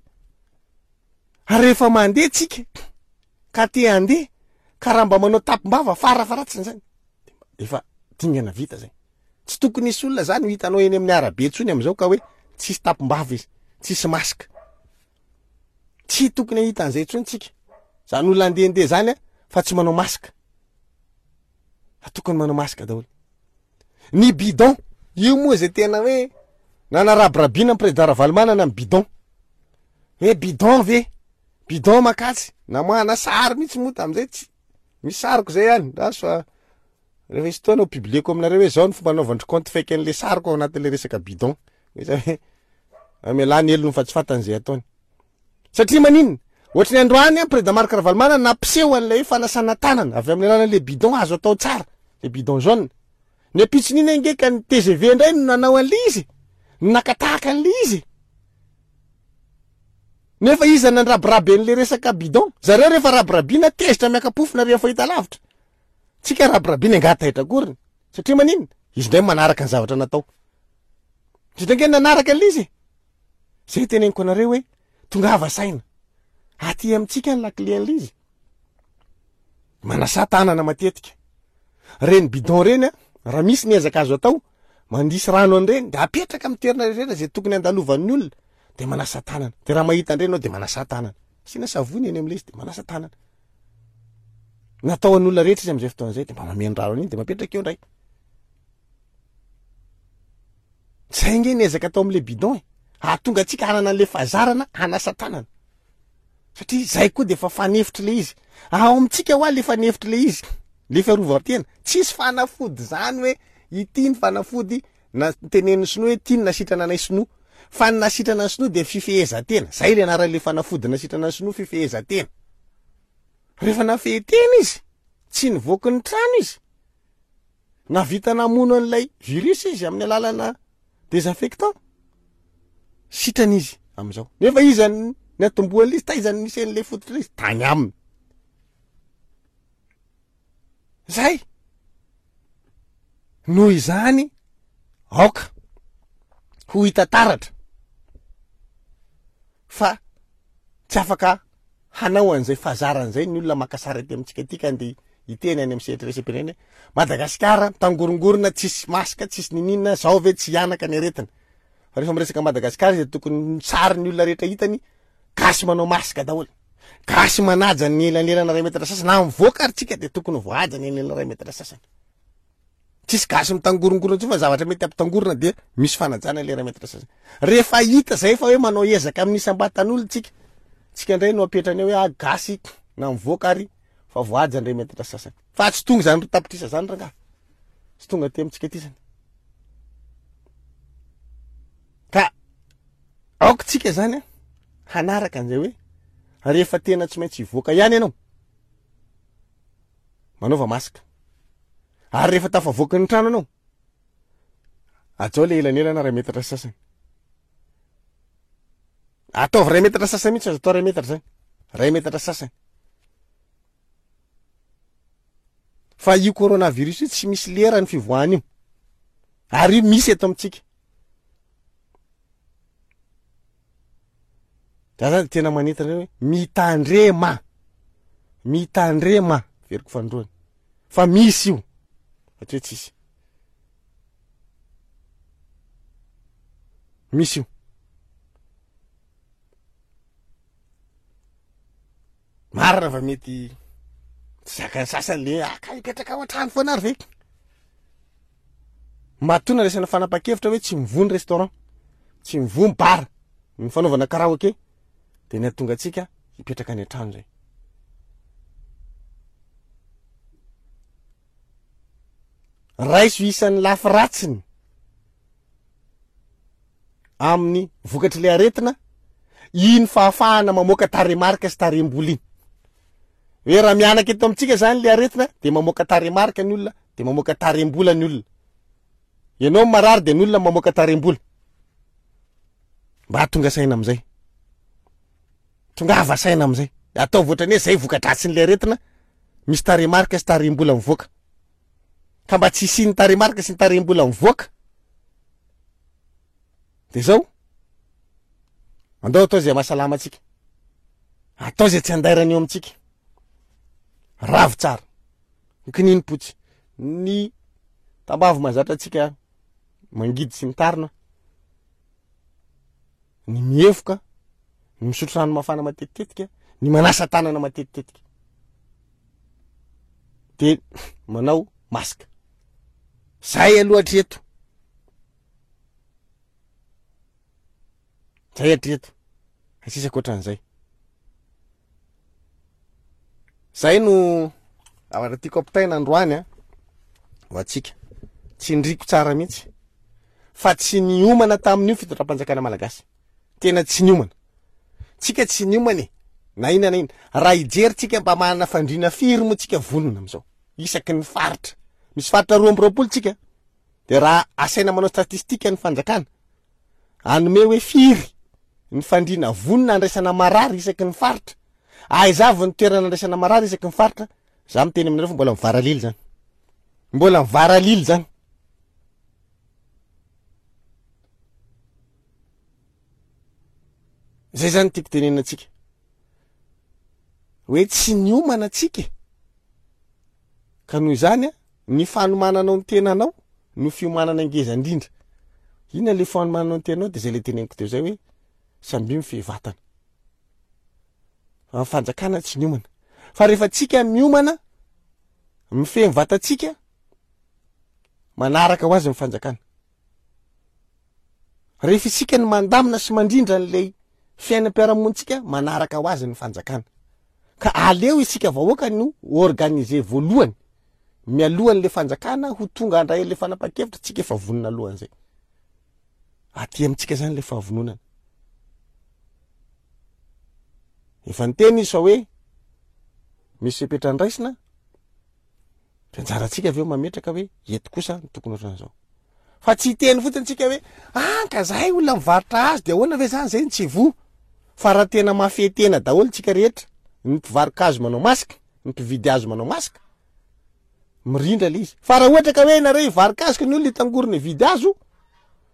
Ary rehefa mandeha tsika, ka te handeha, ka raha mba manao tampom-bava farafaratsiny zany, de efa dingana vita zay. Tsy tokony hisy olona zany ho hitanao eny amin'ny arabe intsony am'izao ka hoe tsisy tampom-bava izy, tsisy masque. Tsy tokony hahita an'izay intsony tsika. Zany olona andehandeha zany a, fa tsy manao masque. Fa tokony manao masque daholo. Ny bidon, io moa zay tena hoe nanarabirabina ny président Ravalomanana ny bidon. Hoe bidon ve? Bidon makatsy. Namoahana sary mihitsy moa tamin'izay, tsy misy sariko zay ihany. Raha fa rehefa hisy fotoana ho publieko aminareo hoe zao ny fomba anaovan-dry compte fake an'le sariko ao anatin'le resaka bidon. Hoe zay hoe amialà ny helony fa tsy fantany zay ataony. Satria maninona? Ohatry ny androany a, président Marc Ravalomanana nampiseho an'ilay hoe fanasana tanana avy amin'ny alalan'le bidon azo atao tsara, le bidon jaune. Ny ampitson'iny ange ka ny T G V indray no nanao an'le izy, no naka tahaka an'le izy. Nefa iza nandrabiraby an'le resaka bidon? Zareo rehefa rabirabina tezitra miaka-pofona rehefa hita lavitra. Tsika rabirabina angaha taitra akoriny. Satria maninona? Izy indray manaraka ny zavatra natao. Izy indray ange nanaraka an'le izy. Zay teneniko anareo hoe tongava saina. Aty amintsika ny lakile an'le izy. Manasa tanana matetika. Reny bidon reny a, raha misy ny ezaka azo atao, mandisy rano an'ireny, de apetraka amin'ny toerana rehetra zay tokony andalovan'ny olona, de manasa tanana. De raha mahita an'ireny anao de manasa tanana. Asiana savony eny amin'ilay izy de manasa tanana. Natao an'olona rehetra izy amin'izay fotoana izay, de mba mameno rano an'iny de mapetraka eo indray. Zay nge ny ezaka atao amin'ilay bidon e. Hahatonga antsika hanana an'ilay fahazarana hanasa tanana. Satria zay koa de efa fanefitry le izy. Ao amintsika hoa le fanefitry le izy, le fiarovan-tena. Tsisy fanafody zany hoe ity ny fanafody Na tenenin'ny sinoa hoe ity no nasitrana anay sinoa. Fa ny nasitrana ny sinoa dia fifehezan-tena. Zay le anaran'le fanafody nasitrana ny sinoa, fifehezan-tena. Rehefa nafehy tena izy, tsy nivoaky ny trano izy. Nahavita namono an'ilay virus izy amin'ny alalana désinfectant. Sitrana izy amin'izao. Nefa iza ny atombohan'ilay izy, taiza ny nisy an'ilay fototra izy? Tany aminy. Zay. Noho izany, aoka ho hita taratra fa tsy afaka hanao an'izay fahazarana izay ny olona maka sary aty amintsika aty ka andeha hiteny any amin'ny sehatra iraisam-pirenena hoe Madagasikara mitangorongorona, tsisy masque, tsisy nininona, zao ve tsy hianaka ny aretina. Fa rehefa miresaka Madagasikara izy dia tokony sary ny olona rehetra hitany gasy manao masque daholo. Gasy manaja ny elanelana iray metatra sasany, na mivoaka ary tsika dia tokony voahaja ny elanelana iray metatra sasany. Tsisy gasy mitangorongorona intsony fa zavatra mety hampitangorona dia misy fanajana ilay iray metatra sasany. Rehefa hita zay fa hoe manao ezaka amin'ny isam-batan'olona tsika, tsika indray no apetrany eo hoe ah, gasy na mivoaka ary fa voahaja ny iray metatra sasany. Fa tsy tonga izany roa tapitrisa izany rangahy. Tsy tonga aty amintsika aty izany. Ka aoka tsika izany hanaraka an'izay hoe rehefa tena tsy maintsy hivoaka ihany ianao, manaova masque. Ary rehefa tafavoaka ny trano ianao, hajao le elanelana iray metatra sasany. Ataovy iray metatra sasany mihitsy, aza atao iray metatra zany. Iray metatra sasany. Fa io coronavirus io tsy misy lera ny fivoahany io. Ary io misy eto amintsika. Za zany tena manentana hoe mitandrema. Mitandrema, veriko fanindroany. Fa misy io. Fa tsy hoe tsisy. Misy io. Marina fa mety tsy zakan'ny sasany le ah, ka hipetraka ao an-trano foana ary ve? Matoa nandraisana fanapahan-kevitra hoe tsy mivoha ny restaurant, tsy mivoha ny bar, ny fanaovana karaoke, dia ny hahatonga antsika hipetraka any an-trano izay. Raiso isan'ny lafy ratsiny amin'ny vokatr'ilay aretina iny fahafahana mamoaka tarehimarika sy tarehim-bola iny. Hoe raha mianaka eto amintsika zany ilay aretina dia mamoaka tarehimarika ny olona, dia mamoaka tarehim-bola ny olona. Ianao marary dia ny olona mamoaka tarehim-bola. Mba hahatonga saina amin'izay. Tongava saina amin'izay. Ataovy ohatran'ny hoe zay voka-dratsin'ilay aretina, misy tarehimarika sy tarehim-bola mivoaka. Ka mba tsy hisian'ny tarehimarika sy ny tarehim-bola mivoaka, dia zao, andao atao izay mahasalama antsika. Atao izay tsy andairana eo amintsika. Ravo tsara. Ny kininim-potsy. Ny tambavy mahazatra antsika mangidy sy mitarina. Ny mievoka, ny misotro rano mafana matetitetika, ny manasa tanana matetitetika. Dia manao masque. Zay aloha hatreto. Zay hatreto. Tsisy ankoatran'izay. Zay no zavatra tiako ampitaina androany a, ho antsika. Tsindriko tsara mihitsy fa tsy niomana tamin'io fitondram-panjakana malagasy. Tena tsy niomana. Tsika tsy niomana e. Na inona na inona. Raha hijery tsika mba manana fandriana firy moa tsika vonona amin'izao. Isaky ny faritra. Misy faritra roa amby roapolo tsika. Dia raha asaina manao statistika ny fanjakana, hanome hoe firy ny fandriana vonona handraisana marary isaky ny faritra. Aiza avy ny toerana handraisana marary isaky ny faritra? Za miteny aminareo fa mbola mivaralily zany. Mbola mivaralily zany. Zay zany tiako tenenina antsika. Hoe tsy niomana antsika e. Ka noho izany, ny fanomananao ny tenanao no fiomanana ngeza indrindra. Inona le fanomananao ny tenanao? Dia zay le teneniko teo zay hoe samby mifehy vatana. Fa ny fanjakana tsy niomana. Fa rehefa tsika miomana, mifehy ny vatantsika, manaraka ho azy ny fanjakana. Rehefa isika no mandamina sy mandrindra an'ilay fiainam-piarahamonintsika, manaraka ho azy ny fanjakana. Ka aleo isika vahoaka no organiser voalohany, mialohan'ilay fanjakana ho tonga handray an'ilay fanapahan-kevitra, tsika efa vonona alohan'izay. Aty amintsika zany le fahavononana. Efa niteny izy fa hoe misy fepetra andraisina, de anjarantsika avy eo mametraka hoe eto kosa ny tokony ohatran'izao. Fa tsy hiteny fotsiny tsika hoe ah ka zahay olona mivarotra azy de ahoana ve zany zay ny tsy voa. Fa raha tena mafy tena daholo tsika rehetra, ny mpivaroka hazo manao masque, ny mpividy hazo manao masque, mirindra le izy. Fa raha ohatra ka hoe nareo hivaroka hazo ka ny olona hitangorona hividy hazo,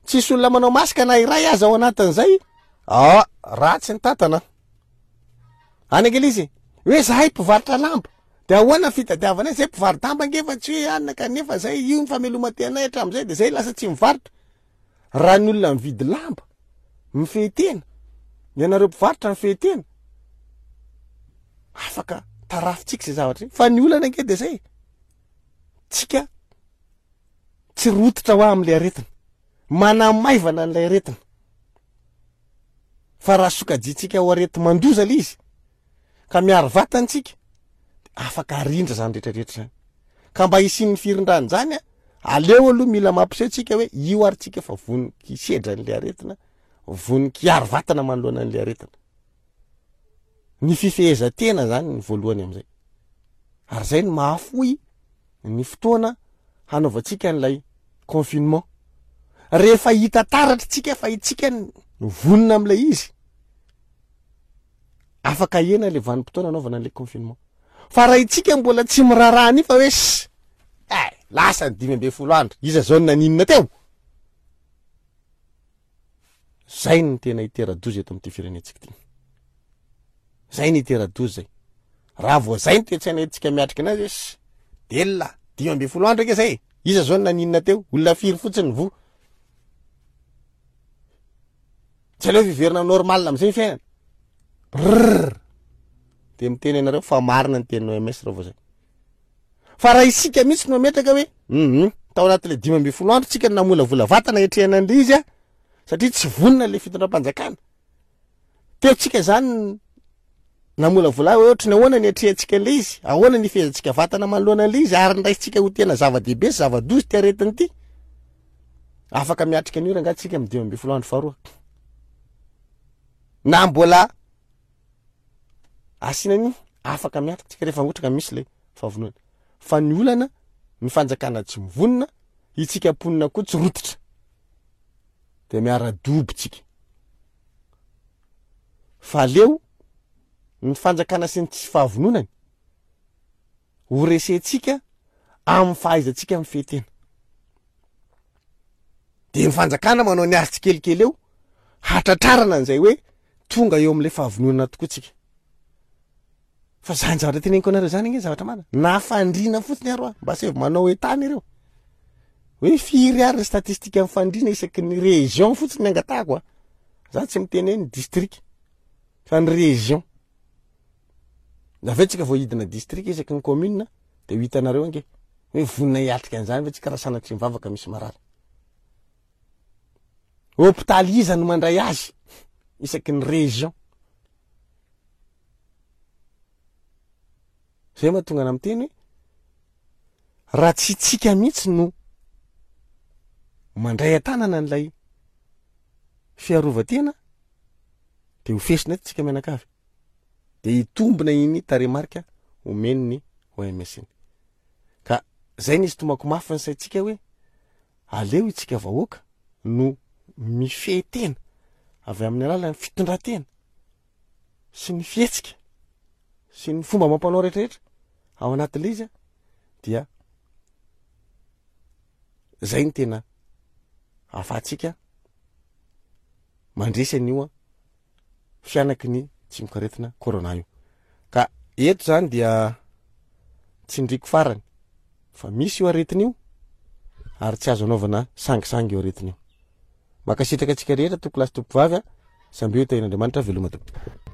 tsisy olona manao masque na iray aza ao anatin'izay, ah ratsy ny tantana. Any ange le izy hoe zahay mpivarotra lamba, de ahoana fitadiavanay zay mpivaro-damba ange fa tsy hoe anina kanefa zay io ny fameloman-tenay hatramin'izay de zay lasa tsy mivarotra. Raha ny olona mividy lamba mifehy tena, ny anareo mpivarotra mifehy tena, afaka tarafintsika zay zavatra io. Fa ny olana ange de zay, tsika tsy rototra ho amin'ilay aretina, manamaivana an'ilay aretina. Fa raha sokajintsika ho areti-mandoza le izy ka miaro vatantsika, afaka arindra zany rehetrarehetra zany. Ka mba hisian'ny firindrany zany a, aleo aloha mila mampiseho tsika hoe io ary tsika fa vonoky hisedra an'ilay aretina, vonoky hiaro vatana manoloana an'ilay aretina. Ny fifehezan-tena zany ny voalohany amin'izay. Ary zay no mahafoy ny fotoana hanaovantsika an'ilay confinement. Rehefa hita taratra tsika fa itsika no vonona amin'ilay izy, afaka hena le vanim-potoana hanaovana an'ilay confinement. Fa raha itsika mbola tsy miraharaha an'io fa hoe ss, eh, lasa ny dimy ambin'ny folo andro, iza zao no naninona teo? Zay no tena hitera-doza eto amin'ity firenentsika ity. Zay no hitera-doza zay. Raha vao zay ny toe-tsaina entintsika miatrika anazy hoe ss, delona, dimy ambin'ny folo andro ake zay. Iza zao no naninona teo? Olona firy fotsiny voa. Tsy aleo fiverina normal amizay ny fiainana. Brrr. De miteny ianareo fa marina ny tenin'ny O M S raha vao zay. Fa raha isika mihitsy no mametraka hoe, mhm, tao anatin'ilay dimy ambin'ny folo andro tsika no namolavola vatana hiatrehana an'ilay izy a, satria tsy vonona ilay fitondram-panjakana. Teo tsika zany namolavola hoe ohatry ny ahoana ny hiatrehantsika an'ilay izy, ahoana ny hifehezantsika vatana manoloana an'ilay izy, ary ndraisintsika ho tena zava-dehibe sy zava-doza ity aretina ity. Afaka miatrika an'io rangahy tsika amin'ny dimy ambin'ny folo andro faharoa. Na mbola asiana an'io, afaka miatrika tsika rehefa ohatra ka misy ilay fahavonona. Fa ny olana, ny fanjakana tsy mivonona, itsika mponina koa tsy rototra. De miara-dobo tsika. Fa aleo ny fanjakana sy ny tsy fahavononany ho resentsika amin'ny fahaizantsika mifehy tena. De ny fanjakana manao ny azy tsikelikely eo, hatratrarana an'izay hoe tonga eo amin'ilay fahavononana tokoa tsika. Fa zany zavatra teneniko anareo zany ange zavatra marina. Na fandriana fotsiny ary hoa, mba asaivo manao etany ireo. Hoe firy ary ny statistika amin'ny fandriana isaky ny région fotsiny ny angatahako a. Za tsy miteny hoe ny district, fa ny région. Avy eo tsika vao hidina district isaky ny commune, de ho hitanareo ange hoe vonona hiatrika an'izany ve tsika raha sanatria mivavaka misy marary. Hôpitaly iza no mandray azy isaky ny région. Zay mahatonga ana miteny hoe raha tsy tsika mihitsy no mandray an-tanana an'ilay fiarovan-tena, de ho fesina eto tsika mianakavy. De hitombina iny tarehimarika omen'ny O M S iny. Ka zay nisy tomako mafy ny saintsika hoe aleo itsika vahoaka no mifehy tena avy amin'ny alalan'ny fitondran-tena sy ny fihetsika sy ny fomba amam-panao rehetrarehetra ao anatin'ilay izy, dia zay ny tena ahafahantsika mandresy an'io fianaky ny tsimokaretina corona io. Ka eto zany dia tsindriko farany fa misy io aretina io ary tsy azo anaovana sangisangy io aretina io. Mankasitraka antsika rehetra, tompoko lahy sy tompoko vavy a, samby ho tahian'Andriamanitra, veloma tompoko.